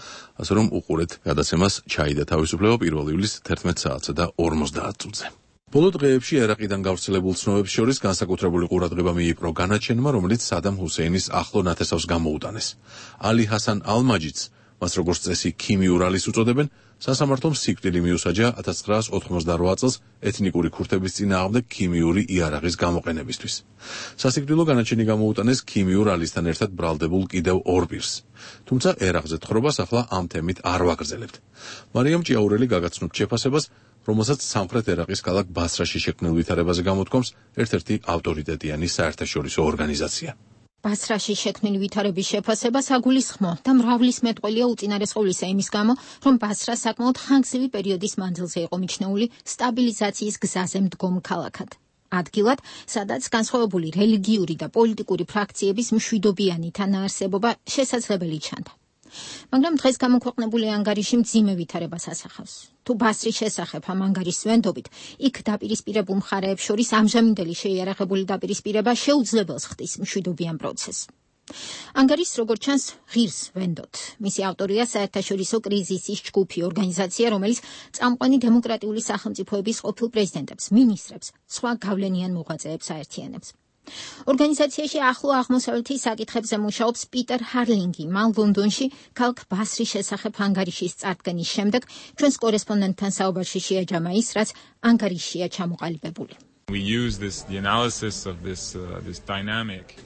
ასე რომ უყურეთ გადაცემას ჩაი და თავისუფლება 1 ივლისს 11 საათსა და 50 წუთზე. ბოლო დღეებში ერაყიდან გავრცელებულ ცნობებს შორის განსაკუთრებული ყურადღება მიიპყრო განაჩენმა, რომელიც სადამ ჰუსეინის ახლო ნათესავს გამოუტანეს. ალი ჰასან ალ-მაჯიდს, მას როგორც წესი ქიმიურ ალის უწოდებენ, სასამართლომ სიკვდილი მიუსაჯა 1988 წელს ეთნიკური ქურთების წინააღმდეგ ქიმიური იარაღის გამოყენებისთვის. სასიკვდილო განაჩენი გამოუტანეს ქიმიურ ალისთან ერთად ბრალდებულ კიდევ ორ პირს. თუმცა ერაყზე თხრობას ახლა ამ თემით არ ვაგრძელებთ. მარიამ ჭიაურელი გაგაცნობთ შეფასებას, რომელსაც სამხრეთ ერაყის ქალაქ ბასრაში შექმნილ ვითარებაზე გამოთქვამს ერთ-ერთი ავტორიტეტიანი საერთაშორისო ორგანიზაცია. ბასრაში შექმნილი ვითარების შეფასებას აგულისხმო და მრავლის მეტყველია უწინარესყოვლისა იმის გამო, რომ ბასრა საკმაოდ ხანგრძლივი პერიოდის მანძილზე იყო მიჩნეული სტაბილიზაციის გზაზე მდგომ ქალაქად. ადგილად, სადაც განსხვავებული რელიგიური და პოლიტიკური ფრაქციების მშვიდობიანი თანაარსებობა შესაძლებელი ჩანდა. მაგრამ დღეს გამოქვეყნებული ანგარიში მძიმე ვითარებას ასახავს. თუ ბასრის შესახებ ამ ანგარიშის ვენდობით, იქ დაპირისპირებულ მხარეებს შორის ამჟამინდელი შეიარაღებული დაპირისპირება შეუძლებელს ხდის მშვიდობიან პროცესს. ანგარიშს, როგორც ჩანს, ღირს ვენდოთ. მისი ავტორია საერთაშორისო კრიზისის ჯგუფი, ორგანიზაცია, რომელიც წამყვანი დემოკრატიული სახელმწიფოების ყოფილ პრეზიდენტებს, მინისტრებს, სხვა გავლენიან მოღვაწეებს აერთიანებს. ორგანიზაციაში ახლო აღმოსავლეთის საკითხებზე მუშაობს პიტერ ჰარლინგი. მან ლონდონში ქალაქ ბასრის შესახებ ანგარიშის წარდგენის შემდეგ ჩვენს კორესპონდენტთან საუბარში შეაჯამა ის, რაც ანგარიშშია ჩამოყალიბებული.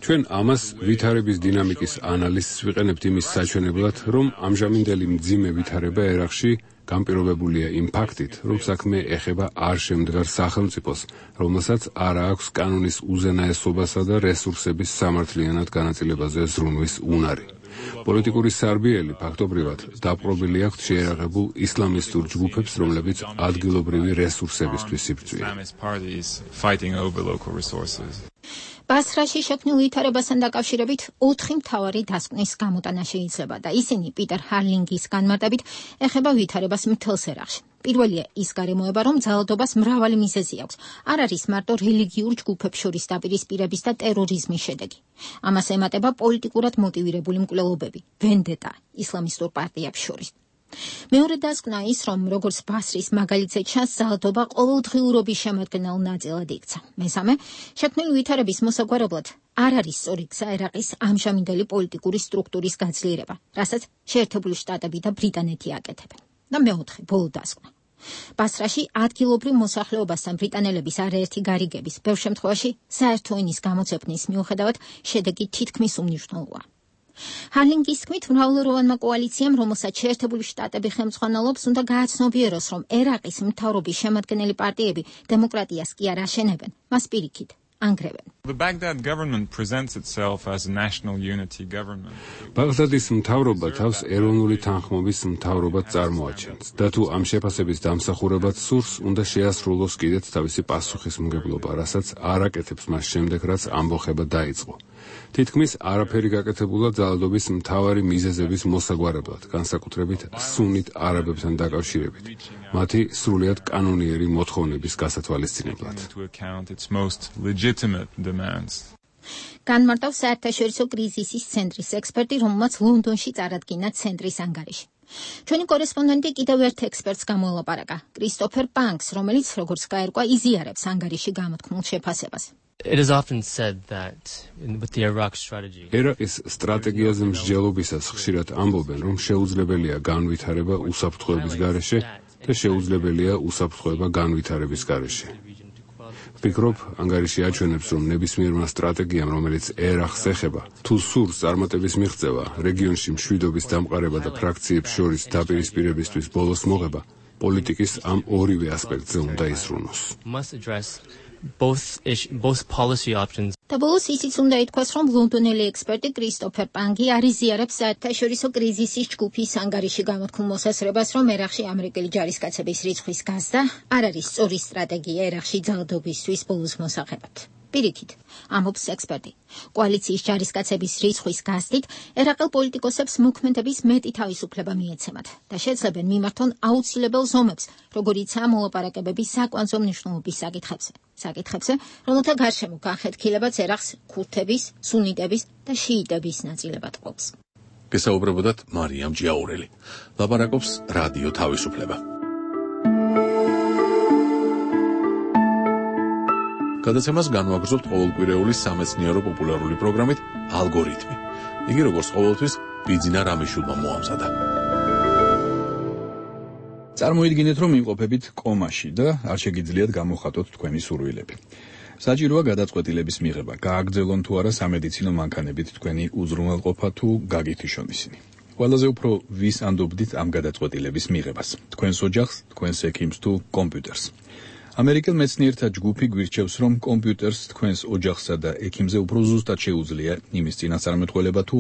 ჩვენ ამას ვითარების დინამიკის ანალიზს ვიყენებთ იმის საჩვენებლად, რომ ამჟამინდელი მძიმე ვითარება ერაყში განპირობებულია იმ ფაქტით, რომ საქმე ეხება არ შემდგარ სახელმწიფოს, რომელსაც არ აქვს კანონის უზენაესობასა და რესურსების სამართლიანად განაწილებაზე ზრუნვის უნარი. პოლიტიკური სარბიელი ფაქტობრივად დაპყრობილი აქვთ შეიარაღებულ ისლამისტურ ჯგუფებს, რომლებიც ადგილობრივი რესურსებისთვის იბრძვიან. ბასრაში შექმნილ ვითარებასთან დაკავშირებით 4 მთავარი დასკვნის გამოტანა შეიძლება და ისინი პიტერ ჰარლინგის განმარტებით ეხება ვითარებას მთელს ერაყში. პირველია ის გარემოება, რომ ძალადობას მრავალი მიზეზი აქვს. არ არის მარტო რელიგიურ ჯგუფებს შორის დაპირისპირების და ტერორიზმის შედეგი. ამას ემატება პოლიტიკურად მოტივირებული მკვლელობები, ვენდეტა ისლამისტურ პარტიებს შორის. მეორე დასკვნა ის, რომ როგორც ბასრის მაგალითზე ჩანს, ძალადობა ყოველდღიურობის შემადგენელ ნაწილად იქცა. მესამე, შექმნილი ვითარების მოსაგვარებლად არ არის სწორი გზა ერაყის ამჟამინდელი პოლიტიკური სტრუქტურის გაძლიერება, რასაც შეერთებული შტატები და ბრიტანეთი აკეთებენ. და მეოთხე, ბოლო დასკვნა. ბასრაში ადგილობრივ მოსახლეობასთან ბრიტანელების არაერთი გარიგების, ბევრ შემთხვევაში საერთო ენის გამოძებნის მიუხედავად შედეგი თითქმის უმნიშვნელოა. ჰარლინგის თქმით, მრავალეროვანმა კოალიციამ, რომელსაც შეერთებული შტატები ხელმძღვანელობს, უნდა გააცნობიეროს, რომ ერაყის მთავრობის შემადგენელი პარტიები დემოკრატიას კი არ აშენებენ, მას პირიქით ანგრევენ. ბაღდადის მთავრობა თავს ეროვნული თანხმობის მთავრობად წარმოაჩენს და თუ ამ შეფასების დამსახურებად სურს, უნდა შეასრულოს კიდეც თავისი პასუხისმგებლობა, რასაც არ აკეთებს მას შემდეგ, რაც ამბოხება დაიწყო. თითქმის არაფერი გაკეთებულა ძალადობის მთავარი მიზეზების მოსაგვარებლად, განსაკუთრებით სუნით არაბებთან დაკავშირებით, მათი სრულიად კანონიერი მოთხოვნების გასათვალისწინებლად. განმარტავს საერთაშორისო კრიზისის ცენტრის ექსპერტი, რომელმაც ლონდონში წარადგინა ცენტრის ანგარიში. ჩვენი კორესპონდენტი კიდევ ერთ ექსპერტს გამოელაპარაკა, კრისტოფერ პანკს, რომელიც, როგორც გაერკვა, იზიარებს ანგარიში გამოთქმულ შეფასებას. It is often said that with the Iraq strategy. ერაყის სტრატეგიაზე მსჯელობისას ხშირად ამბობენ, რომ შეუძლებელია განვითარება უსაფრთხოების გარეშე და შეუძლებელია უსაფრთხოება განვითარების გარეშე. ვფიქრობ, ანგარიში აჩვენებს, რომ ნებისმიერმა სტრატეგიამ, რომელიც ერაყს ეხება, თუ სურს წარმატების მიღწევა, რეგიონში მშვიდობის დამყარება და ფრაქციებს შორის დაპირისპირებისთვის ბოლოს მოღება, პოლიტიკის ამ ორივე ასპექტზე უნდა იზრუნოს. Both policy options. და ბოლოს ისიც უნდა ითქვას, რომ ლონდონელი ექსპერტი კრისტოფერ პანკი არ იზიარებს საერთაშორისო კრიზისის ჯგუფის ანგარიში გამოთქმულ მოსაზრებას, რომ ერაყში ამერიკელი ჯარისკაცების რიცხვის გაზრდა არ არის სწორი სტრატეგია ერაყში ძალადობისთვის ბოლოს მოსაღებად. პირიქით, ამბობს ექსპერტი. კოალიციის ჯარისკაცების რიცხვის გაზრდით ერაყელ პოლიტიკოსებს მოქმედების მეტი თავისუფლება მიეცემათ და შეძლებენ მიმართონ აუცილებელ ზომებს, როგორიცაა მოლაპარაკებები საკვანძო მნიშვნელობის საკითხებზე, რომელთა გარშემო განხეთქილებაც ერაყს ქურთების, სუნიტების და შიიტების ნაწილებად ყოფს. გესაუბრებოდათ მარიამ ჯიაურელი. ლაპარაკობს რადიო თავისუფლება. გადაცემას განვაგრძობთ ყოველკვირეული სამეცნიერო პოპულარული პროგრამით ალგორითმი. იგი როგორც ყოველთვის ბიძინა რამიშულმა მოამზადა. წარმოიდგინეთ, რომ იმყოფებით კომაში და არ შეგიძლიათ გამოხატოთ თქვენი სურვილები. საჭიროა გადაწყვეტილების მიღება, გააგრძელონ თუ არა სამედიცინო მანქანებით თქვენი უზრუნველყოფა თუ გაგითიშონ ისინი. ყველაზე უფრო ვის ანდობდით ამ გადაწყვეტილების მიღებას? თქვენს ოჯახს, თქვენს ექიმს თუ კომპიუტერს? ამერიკელ მეცნიერთა ჯგუფი გვირჩევს, რომ კომპიუტერს თქვენს ოჯახსა და ექიმზე უფრო ზუსტად შეუძლია იმის წინასწარმეტყველება თუ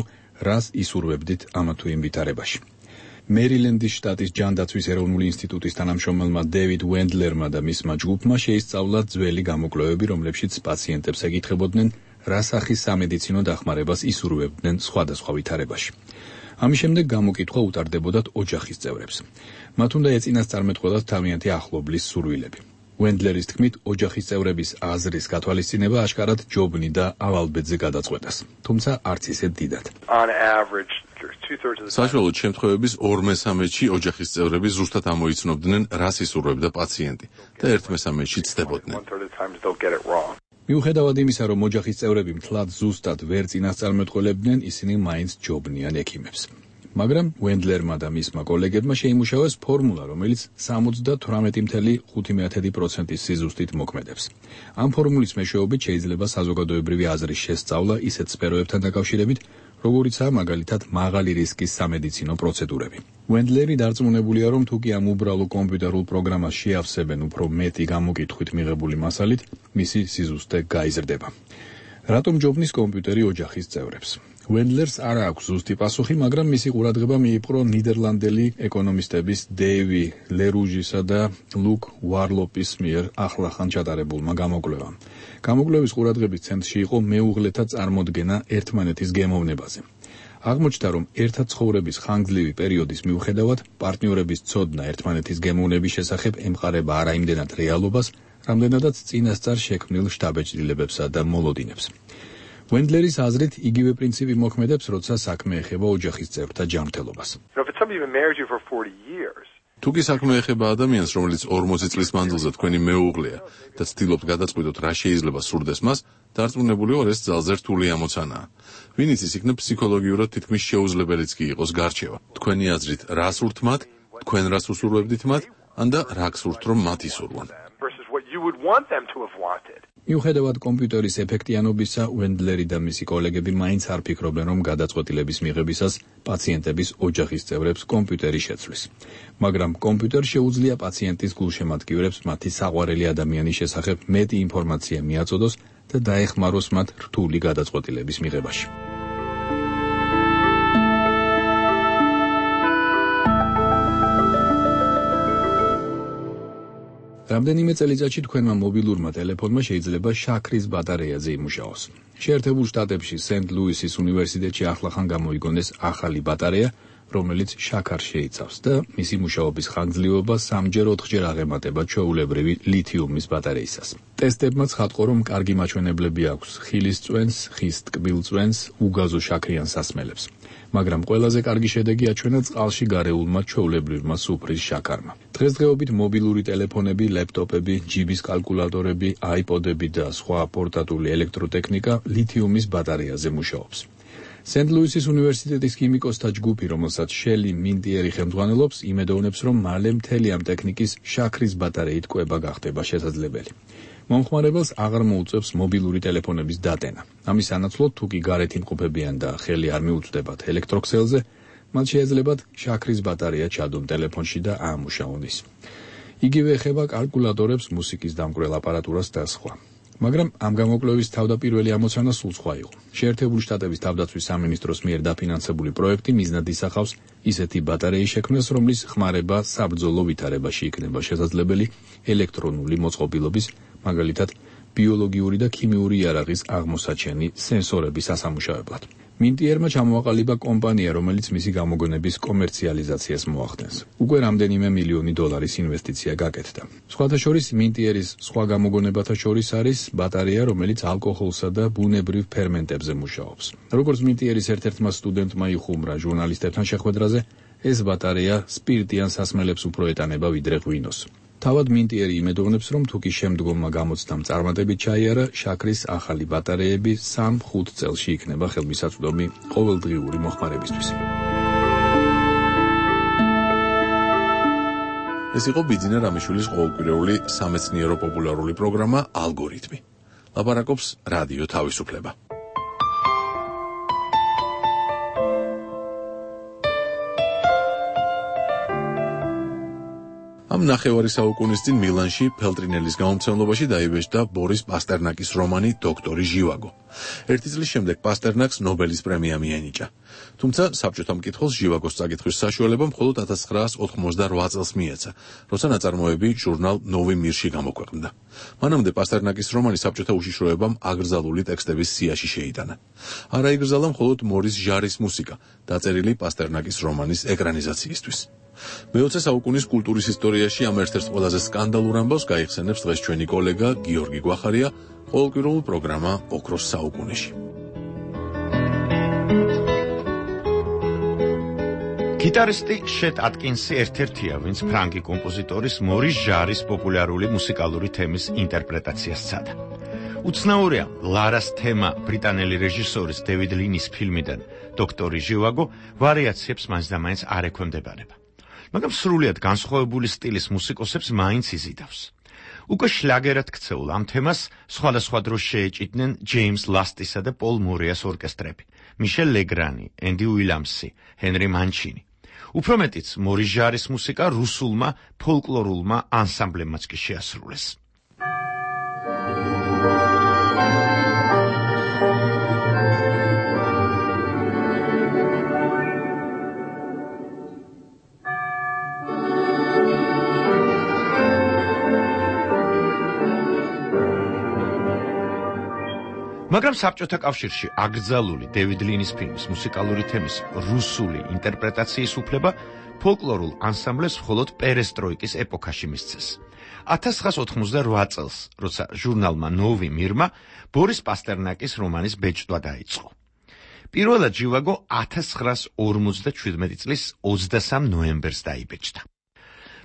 რას ისურვებდით ამა თუ იმ ვითარებაში. მერილენდის შტატის ჯანდაცვის ეროვნული ინსტიტუტის თანამშრომელმა დევიდ ვენდლერმა და მისმა ჯგუფმა შეისწავლა ძველი გამოკვლევები, რომლებშიც პაციენტებს ეკითხებოდნენ, რა სახის სამედიცინო დახმარებას ისურვებდნენ სხვადასხვა ვითარებაში. ამის შემდეგ გამოკითხვა უტარდებოდათ ოჯახის წევრებს. მათ უნდა ეწინასწარმეტყველათ თავიანთი ახლობლის სურვილები. ვენდლერის თქმით, ოჯახის წევრების აზრის გათვალისწინება აშკარად ჯობნი და ავალბედზე გადაწყვეტას, თუმცა არც ისე დიდად. საშუალოდ შემთხვევების 2/3-ში ოჯახის წევრები ზუსტად ამოიცნობდნენ, რას ისურვებდა პაციენტი და 1/3-ში ცდებოდნენ. მიუხედავად იმისა, რომ ოჯახის წევრები მთლად ზუსტად ვერ წინასწარმეტყველებდნენ, ისინი მაინც ჯობნიან ექიმებს. მაგრამ ვენდლერმა და მისმა კოლეგებმა შეიმუშავეს ფორმულა, რომელიც 78.5% სიზუსტით მოქმედებს. ამ ფორმულის მეშვეობით შეიძლება საზოგადოებრივი აზრის შესწავლა ისეთ სფეროებთან დაკავშირებით, როგორიცაა მაგალითად მაღალი რისკის სამედიცინო პროცედურები. ვენდლერი დარწმუნებულია, რომ თუკი ამ უბრალო კომპიუტერულ პროგრამას შეავსებენ უფრო მეტი გამოკითხვით მიღებული მასალით, მისი სიზუსტე გაიზრდება. რატომ ჯობნის კომპიუტერი ოჯახის წევრებს? ვენდლერს არ აქვს ზუსტი პასუხი, მაგრამ მისი ყურადღება მიიპყრო ნიდერლანდელი ეკონომისტების დეივი ლერუჟისა და ლუკ ვარლოპის მიერ ახლახან ჩატარებულმა გამოკვლევამ. გამოკვლევის ყურადღების ცენტრში იყო მეუღლეთა წარმოდგენა ერთმანეთის გემოვნებაზე. აღმოჩნდა, რომ ერთად ცხოვრების ხანგრძლივი პერიოდის მიუხედავად, პარტნიორების ცოდნა ერთმანეთის გემოვნების შესახებ ემყარება არა იმდენად რეალობას, რამდენადაც წინასწარ შექმნილ შთაბეჭდილებებსა და მოლოდინებს. Wendleris აზრით იგივე პრინციპი მოქმედებს, როცა საქმე ეხება ოჯახის წევრთა ჯანმრთელობას. თუ კი საქმე ეხება ადამიანს, რომელიც 40 წლის მანძილზე თქვენი მეუღლეა და ცდილობთ გადაწყვიტოთ რა შეიძლება სურდეს მას, დარწმუნებული ვარ, ეს ძალზე რთული ამოცანაა. ვინც ის იქნება ფსიქოლოგიურად თითქმის შეუძლებელიც კი იყოს გარჩევა. თქვენი აზრით, რა სურთ მათ, თქვენ რას უსურვებდით მათ, ან და რა გსურთ რომ მათ ისურვონ. მიუხედავად კომპიუტერის ეფექტიანობისა, Wendleri და მისი კოლეგები მაინც არ ფიქრობენ, რომ გადაწყვეტილების მიღებისას პაციენტების ოჯახის წევრებს კომპიუტერი შეცვლის. მაგრამ კომპიუტერს შეუძლია პაციენტის გულშემატკივრებს მათი საყვარელი ადამიანის შესახებ მეტი ინფორმაცია მიაწოდოს და დაეხმაროს მათ რთული გადაწყვეტილების მიღებაში. რამდენიმე წელიწადში თქვენმა მობილურმა ტელეფონმა შეიძლება შაქრის ბატარეაზე იმუშაოს. შეერთებულ შტატებში სენტ-ლუისის უნივერსიტეტში ახლახან გამოიგონეს ახალი ბატარეა, რომელიც შაქარს შეიცავს და მისი მუშაობის ხანგრძლივობა 3-ჯერ 4-ჯერ აღემატება ჩვეულებრივი ლითიუმის ბატარეისას. ტესტებმა ცხადყო, რომ კარგი მაჩვენებლები აქვს ხილის წვენს, ხის ტკბილ წვენს, უგაზო შაქრიან სასმელებს. მაგრამ ყველაზე კარგი შედეგი აჩვენა წყალში გარეულმა ჩვეულებრივმა სუფრის შაქარმა. დღესდღეობით მობილური ტელეფონები, ლეპტოპები, ჯიბის კალკულატორები, აიპოდები და სხვა პორტატული ელექტროტექნიკა ლითიუმის ბატარეაზე მუშაობს. სენტ-ლუისის უნივერსიტეტის ქიმიკოსთა ჯგუფი, რომელსაც შელი მინტიერი ხელმძღვანელობს, იმედოვნებს, რომ მალე მთელი ამ ტექნიკის შაქრის ბატარეით კვება გახდება შესაძლებელი. მომხმარებელს აღარ მოუწევს მობილური ტელეფონების დატენა. ამის სანაცვლოდ, თუ კი გარეთ იმყოფებიან და ხელი არ მიუწვდებათ ელექტროქსელზე, მათ შეეძლებათ შაქრის ბატარეა ჩადონ ტელეფონში და აამუშაონ ის. იგივე ეხება კალკულატორებს, მუსიკის დამკვრელ აპარატურას და სხვა. მაგრამ ამ გამოკვლევის თავდაპირველი ამოცანა სულ სხვა იყო. შეერთებული შტატების თავდაცვის სამინისტროს მიერ დაფინანსებული პროექტი მიზნად ისახავს ისეთი ბატარეის შექმნას, რომლის ხმარება საბრძოლო ვითარებაში იქნება შესაძლებელი ელექტრონული მოწყობილობის, მაგალითად ბიოლოგიური და ქიმიური იარაღის აღმოსაჩენი სენსორების ასამუშავებლად. მინტიერმა ჩამოაყალიბა კომპანია, რომელიც მისი გამოგონების კომერციალიზაციას მოახდენს. უკვე რამდენიმე მილიონი დოლარის ინვესტიცია გაკეთდა. სხვათა შორის მინტიერის სხვა გამოგონებათა შორის არის ბატარეა, რომელიც ალკოჰოლსა და ბუნებრივ ფერმენტებზე მუშაობს. როგორც მინტიერის ერთ-ერთმა სტუდენტმა იხუმრა ჟურნალისტებთან შეხვედრაზე, ეს ბატარეა სპირტიან სასმელებს უფრო ეტანება ვიდრე ღვინოს. თავად მინტიერი იმედოვნებს, რომ თუ კი შემდგომმა გამოცდამ წარმატებით ჩაიარა, შაქრის ახალი ბატარეები 3-5 წელში იქნება ხელმისაწვდომი ყოველდღიური მოხმარებისთვის. ეს იყო ბიძინა რამიშვილის ყოველკვირეული სამეცნიერო პოპულარული პროგრამა ალგორითმი. ლაპარაკობს რადიო თავისუფლება. ამ ნახევარი საუკუნის წინ მილანში ფელტრინელის გამომცემლობაში დაიბეჭდა ბორის პასტერნაკის რომანი დოქტორი ჟივაგო. ერთი წლის შემდეგ პასტერნაკს ნობელის პრემია მიენიჭა. თუმცა საბჭოთა მკითხველს ჟივაგოს წაკითხვის საშუალება მხოლოდ 1988 წელს მიეცა, როცა ნაწარმოები ჟურნალ ნოვი მირში გამოქვეყნდა. მანამდე პასტერნაკის რომანი საბჭოთა უშიშროებამ აგრძალული ტექსტების სიაში შეიტანა. არ აიგრძალა მხოლოდ მორის ჟარის მუსიკა, დაწერილი პასტერნაკის რომანის ეკრანიზაციისთვის. მე-20 საუკუნის კულტურის ისტორიაში ამ ერთ-ერთ ყველაზე სკანდალურ ამბავს გაიხსენებს დღეს ჩვენი კოლეგა გიორგი გვახარია ყოველკვირეულ პროგრამა ოქროს საუკუნეში. გიტარისტი შეტ ატკინსი ერთ-ერთია, ვინც ფრანგი კომპოზიტორის მორის ჟარის პოპულარული მუსიკალური თემის ინტერპრეტაციას სცადა. უცნაურია, ლარას თემა ბრიტანელი რეჟისორის დევიდ ლინის ფილმიდან დოქტორი ჟივაგო ვარიაციებს მაინც და მაინც არ ექვემდებარება. მაგრამ სრულიად განსხვავებული სტილის მუსიკოსებს მაინც იზიდავს. უკვე შლაგერად ქცეულ ამ თემას სხვადასხვა დროს შეეჭიდნენ ჯეიმს ლასტისა და პოლ მორეას ორკესტრები, მიშელ ლეგრანი, ენდი უილამსი, ჰენრი მანჩინი. უფრო მეტიც, მორის ჟარის მუსიკა რუსულმა ფოლკლორულმა ანსამბლებმაც კი შეასრულეს. მაგრამ საბჭოთა კავშირში აკრძალული დევიდ ლინის ფილმის მუსიკალური თემის რუსული ინტერპრეტაციის უფლება ფოლკლორულ ანსამბლებს მხოლოდ პერესტროიკის ეპოქაში მისცეს. 1988 წელს, როცა ჟურნალმა ნოვი მირმა ბორის პასტერნაკის რომანის ბეჭდვა დაიწყო. პირველად ჟივაგო 1957 წლის 23 ნოემბერს დაიბეჭდა.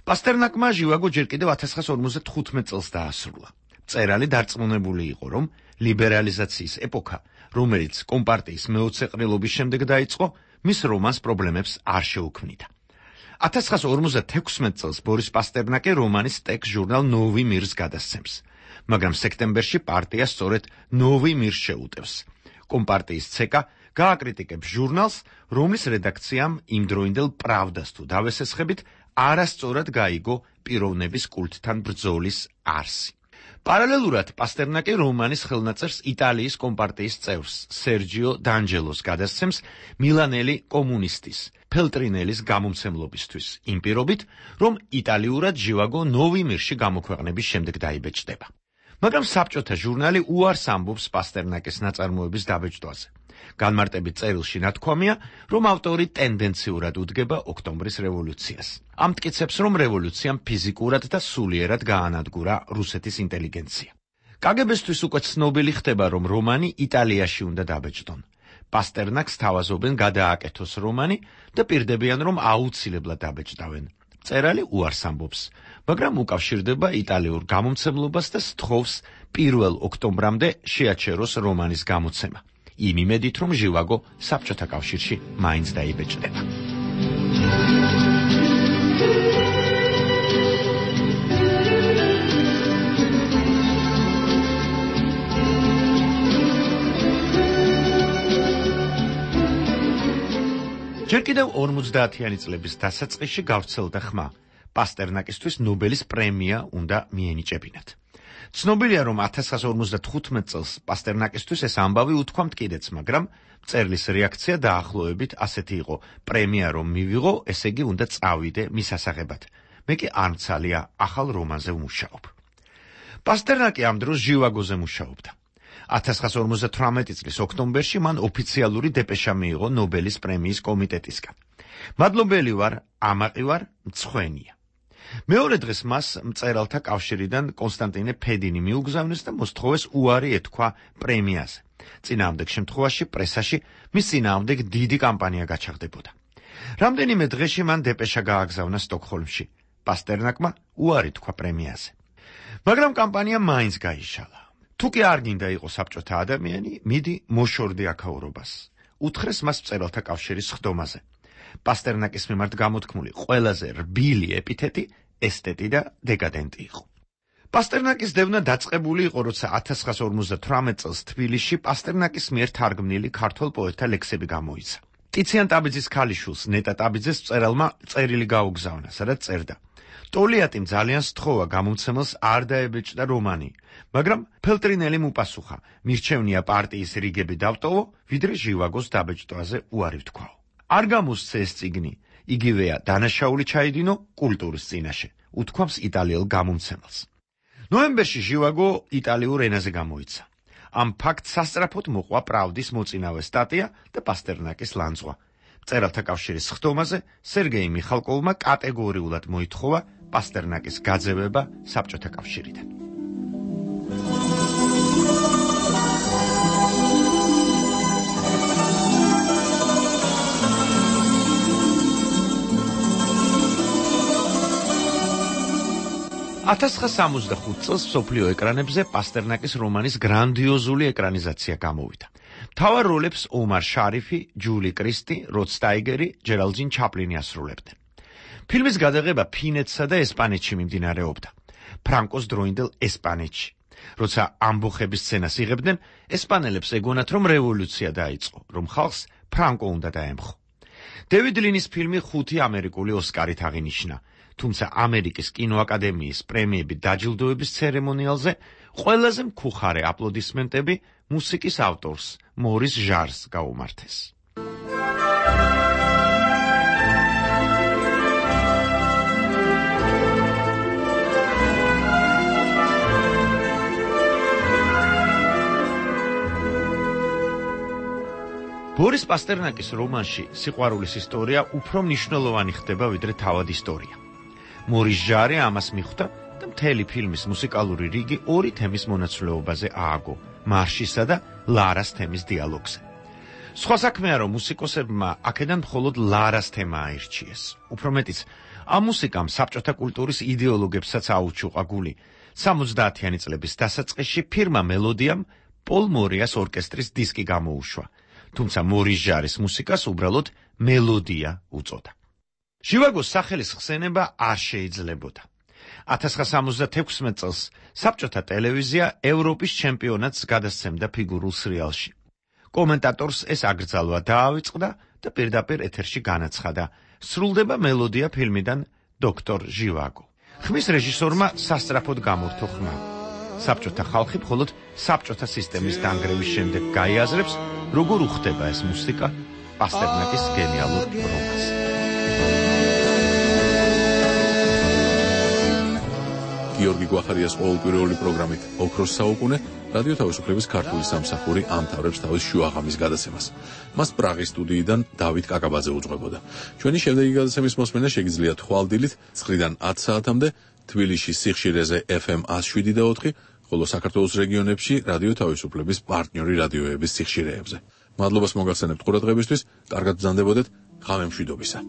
პასტერნაკმა ჟივაგო ჯერ კიდევ 1955 წელს დაასრულა. მწერალი დარწმუნებული იყო, რომ ლიბერალიზაციის ეპოქა, რომელიც კომპარტიის მეოცეყრილობის შემდეგ დაიწყო, მის რომანს პრობლემებს არ შეუქმნიდა. 1956 წელს ბორის პასტერნაკი რომანის ტექსტ ჟურნალ ნოვი მირს გადასცემს, მაგრამ სექტემბერში პარტია სწორედ ნოვი მირს შეუტევს. კომპარტიის ცეკა გააკრიტიკებს ჟურნალს, რომლის რედაქციამ იმდროინდელ პრავდას თუ დავესესხებით არასწორად გაიგო პიროვნების კულტთან ბრძოლის არსი. პარალელურად პასტერნაკი რომანის ხელნაწერს იტალიის კომპარტიის წევრს სერჯიო დანჯელოს გადასცემს მილანელი კომუნისტის ფელტრინელის გამომცემლობისთვის, იმ პირობით, რომ იტალიურად ჟივაგო ნოვი მირში გამოქვეყნების შემდეგ დაიბეჭდება. მაგრამ საბჭოთა ჟურნალი უარს ამბობს პასტერნაკის ნაწარმოების დაბეჭდვაზე. განმარტებით წერილში ნათქვამია, რომ ავტორი ტენდენციურად უდგება ოქტომბრის რევოლუციას. ამტკიცებს, რომ რევოლუციამ ფიზიკურად და სულიერად გაანადგურა რუსეთის ინტელიგენცია. კგბ-სთვის უკვე ცნობილი ხდება, რომ რომანი იტალიაში უნდა დაბეჭდონ. პასტერნაკს თავაზობენ გადააკეთოს რომანი და პირდებიან, რომ აუცილებლად დაბეჭდავენ. მწერალი უარს ამბობს, მაგრამ უკავშირდება იტალიურ გამომცემლობას და სთხოვს 1 ოქტომბრამდე შეაჩეროს რომანის გამოცემა. იმ იმედით, რომ ჟივაგო საბჭოთა კავშირში მაინც დაიბეჭდება. ჯერ კიდევ 50-იანი წლების დასაწყისში გავრცელდა ხმა, პასტერნაკისთვის ნობელის პრემია უნდა მიენიჭებინათ. ცნობილია, რომ 1955 წელს პასტერნაკისთვის ეს ამბავი უთქვამთ კიდეც, მაგრამ მწერლის რეაქცია დაახლოებით ასეთი იყო: პრემია რომ მივიღო, ესე იგი უნდა წავიდე მის ასაღებად. მე კი არ მცალია ახალ რომანზე ვმუშაობ. პასტერნაკი ამ დროს ჟივაგოზე მუშაობდა. 1958 წლის ოქტომბერში მან ოფიციალური დეპეშა მიიღო ნობელის პრემიის კომიტეტისგან. მადლობელი ვარ, ამაყი ვარ, მცხვენია. მეორე დღეს მას მწერალთა კავშირიდან კონსტანტინე ფედინი მიუგზავნეს და მოსთხოვეს უარი ეთქვა პრემიაზე. წინააღმდეგ შემთხვევაში პრესაში მის წინააღმდეგ დიდი კამპანია გაჩაღდებოდა. რამდენიმე დღეში მან დეპეშა გააგზავნა სტოკჰოლმში. პასტერნაკმა უარი თქვა პრემიაზე. მაგრამ კამპანია მაინც გაიშალა. თუ კი არ გინდა იყოს საბჭოთა ადამიანი, მიდი მოშორდი აქაურობას. უთხრეს მას მწერალთა კავშირის ხდომაზე. პასტერნაკის მიმართ გამოთქმული ყველაზე რბილი ეპითეტი ესტეტი და დეკადენტი იყო. პასტერნაკის დევნა დაწყებული იყო, როცა 1958 წელს თბილისში პასტერნაკის მიერ თარგმნილი ქართველ პოეტთა ლექსები გამოიცა. ტიციან ტაბიძის ქალიშვილს ნეტა ტაბიძეს მწერალმა წერილი გაუგზავნა, სადაც წერდა: ტოლიატიმ ძალიან სთხოვა გამომცემელს არ დაებეჭდა რომანი, მაგრამ ფელტრინელიმ უპასუხა: მირჩევნია პარტიის რიგები დავტოვო, ვიდრე ჟივაგოს დაბეჭდვაზე უარი ვთქვაო. არ გამოსცე ეს წიგნი, იგივეა დანაშაული ჩაიდინო კულტურის წინაშე, უთქვამს იტალიელ გამომცემელს. ნოემბერში ჟივაგო იტალიურ ენაზე გამოიცა. ამ ფაქტს სასწრაფოდ მოყვა პრავდის მოწინავე სტატია და პასტერნაკის ლანძღვა. მწერალთა კავშირის ხდომაზე სერგეი მიხალკოვმა კატეგორიულად მოითხოვა პასტერნაკის გაძევება საბჭოთა კავშირიდან. $1965 წელს მსოფლიო ეკრანებზე პასტერნაკის რომანის გრანდიოზული ეკრანიზაცია გამოვიდა. მთავარ როლებს ომარ შარიფი, ჯული კრისტი, როდ სტაიგერი, ჯერალდინ ჩაპლინი ასრულებდნენ. ფილმის გადაღება ფინეთსა და ესპანეთში მიმდინარეობდა. ფრანკოს დროინდელ ესპანეთში. როცა ამბოხების სცენას იღებდნენ, ესპანელებს ეგონათ, რომ რევოლუცია დაიწყო, რომ ხალხს ფრანკო უნდა დაემხო. დევიდ ლინის ფილმი 5 ამერიკული ოსკარით აღინიშნა. თუმცა ამერიკის კინოაკადემიის პრემიების დაჯილდოების ცერემონიალზე ყველაზე მქუხარე აპლოდისმენტები მუსიკის ავტორს მორის ჟარს გაუმართეს. ბორის პასტერნაკის რომანში სიყვარულის ისტორია უფრო მნიშვნელოვანი ხდება, ვიდრე თავად ისტორია. მორის ჟარი ამას მიხვდა და მთელი ფილმის მუსიკალური რიგი ორი თემის მონაცვლეობაზე ააგო: მარშისა და ლარას თემის დიალოგზე. სხვა საქმეა, რომ მუსიკოსებმა აქედან მხოლოდ ლარას თემა აირჩიეს. უფრო მეტიც, ამ მუსიკამ საბჭოთა კულტურის იდეოლოგებსაც აუჩუყა გული. 70-იანი წლების დასაწყისში ფირმა მელოდიამ პოლ მორიას ორკესტრის დისკი გამოუშვა, თუმცა მორის ჟარის მუსიკას უბრალოდ მელოდია უწოდა. ჟივაგოს სახელის ხსენება არ შეიძლებოდა. 1976 წელს საბჭოთა ტელევიზია ევროპის ჩემპიონატს გადასცემდა ფიგურულ სრიალში. კომენტატორს ეს აკრძალვა დაავიწყდა და პირდაპირ ეთერში განაცხადა: სრულდება მელოდია ფილმიდან დოქტორ ჟივაგო. ხმის რეჟისორმა სასწრაფოდ გამორთო ხმა. საბჭოთა ხალხი მხოლოდ საბჭოთა სისტემის დანგრევის შემდეგ გაიაზრებს, როგორ უხდება ეს მუსიკა პასტერნაკის გენიალურ რომანს. გიორგი გვახარიას ყოველკვირეული პროგრამით ოქროს საუკუნე რადიო თავისუფლების ქართული სამსახური ამთავრებს თავის შუაღამის გადაცემას. მას პრაღის სტუდიიდან დავით კაკაბაძე უძღვებოდა. ჩვენი შემდეგი გადაცემის მოსმენა შეგიძლიათ ხვალდილით 9-დან 10 საათამდე თბილისში სიხშირეზე FM 107.4, ხოლო საქართველოს რეგიონებში რადიო თავისუფლების პარტნიორი რადიოების სიხშირეებზე. მადლობას მოგახსენებთ ყურადღებისთვის, კარგად ბრძანდებოდეთ, ღამე მშვიდობისა.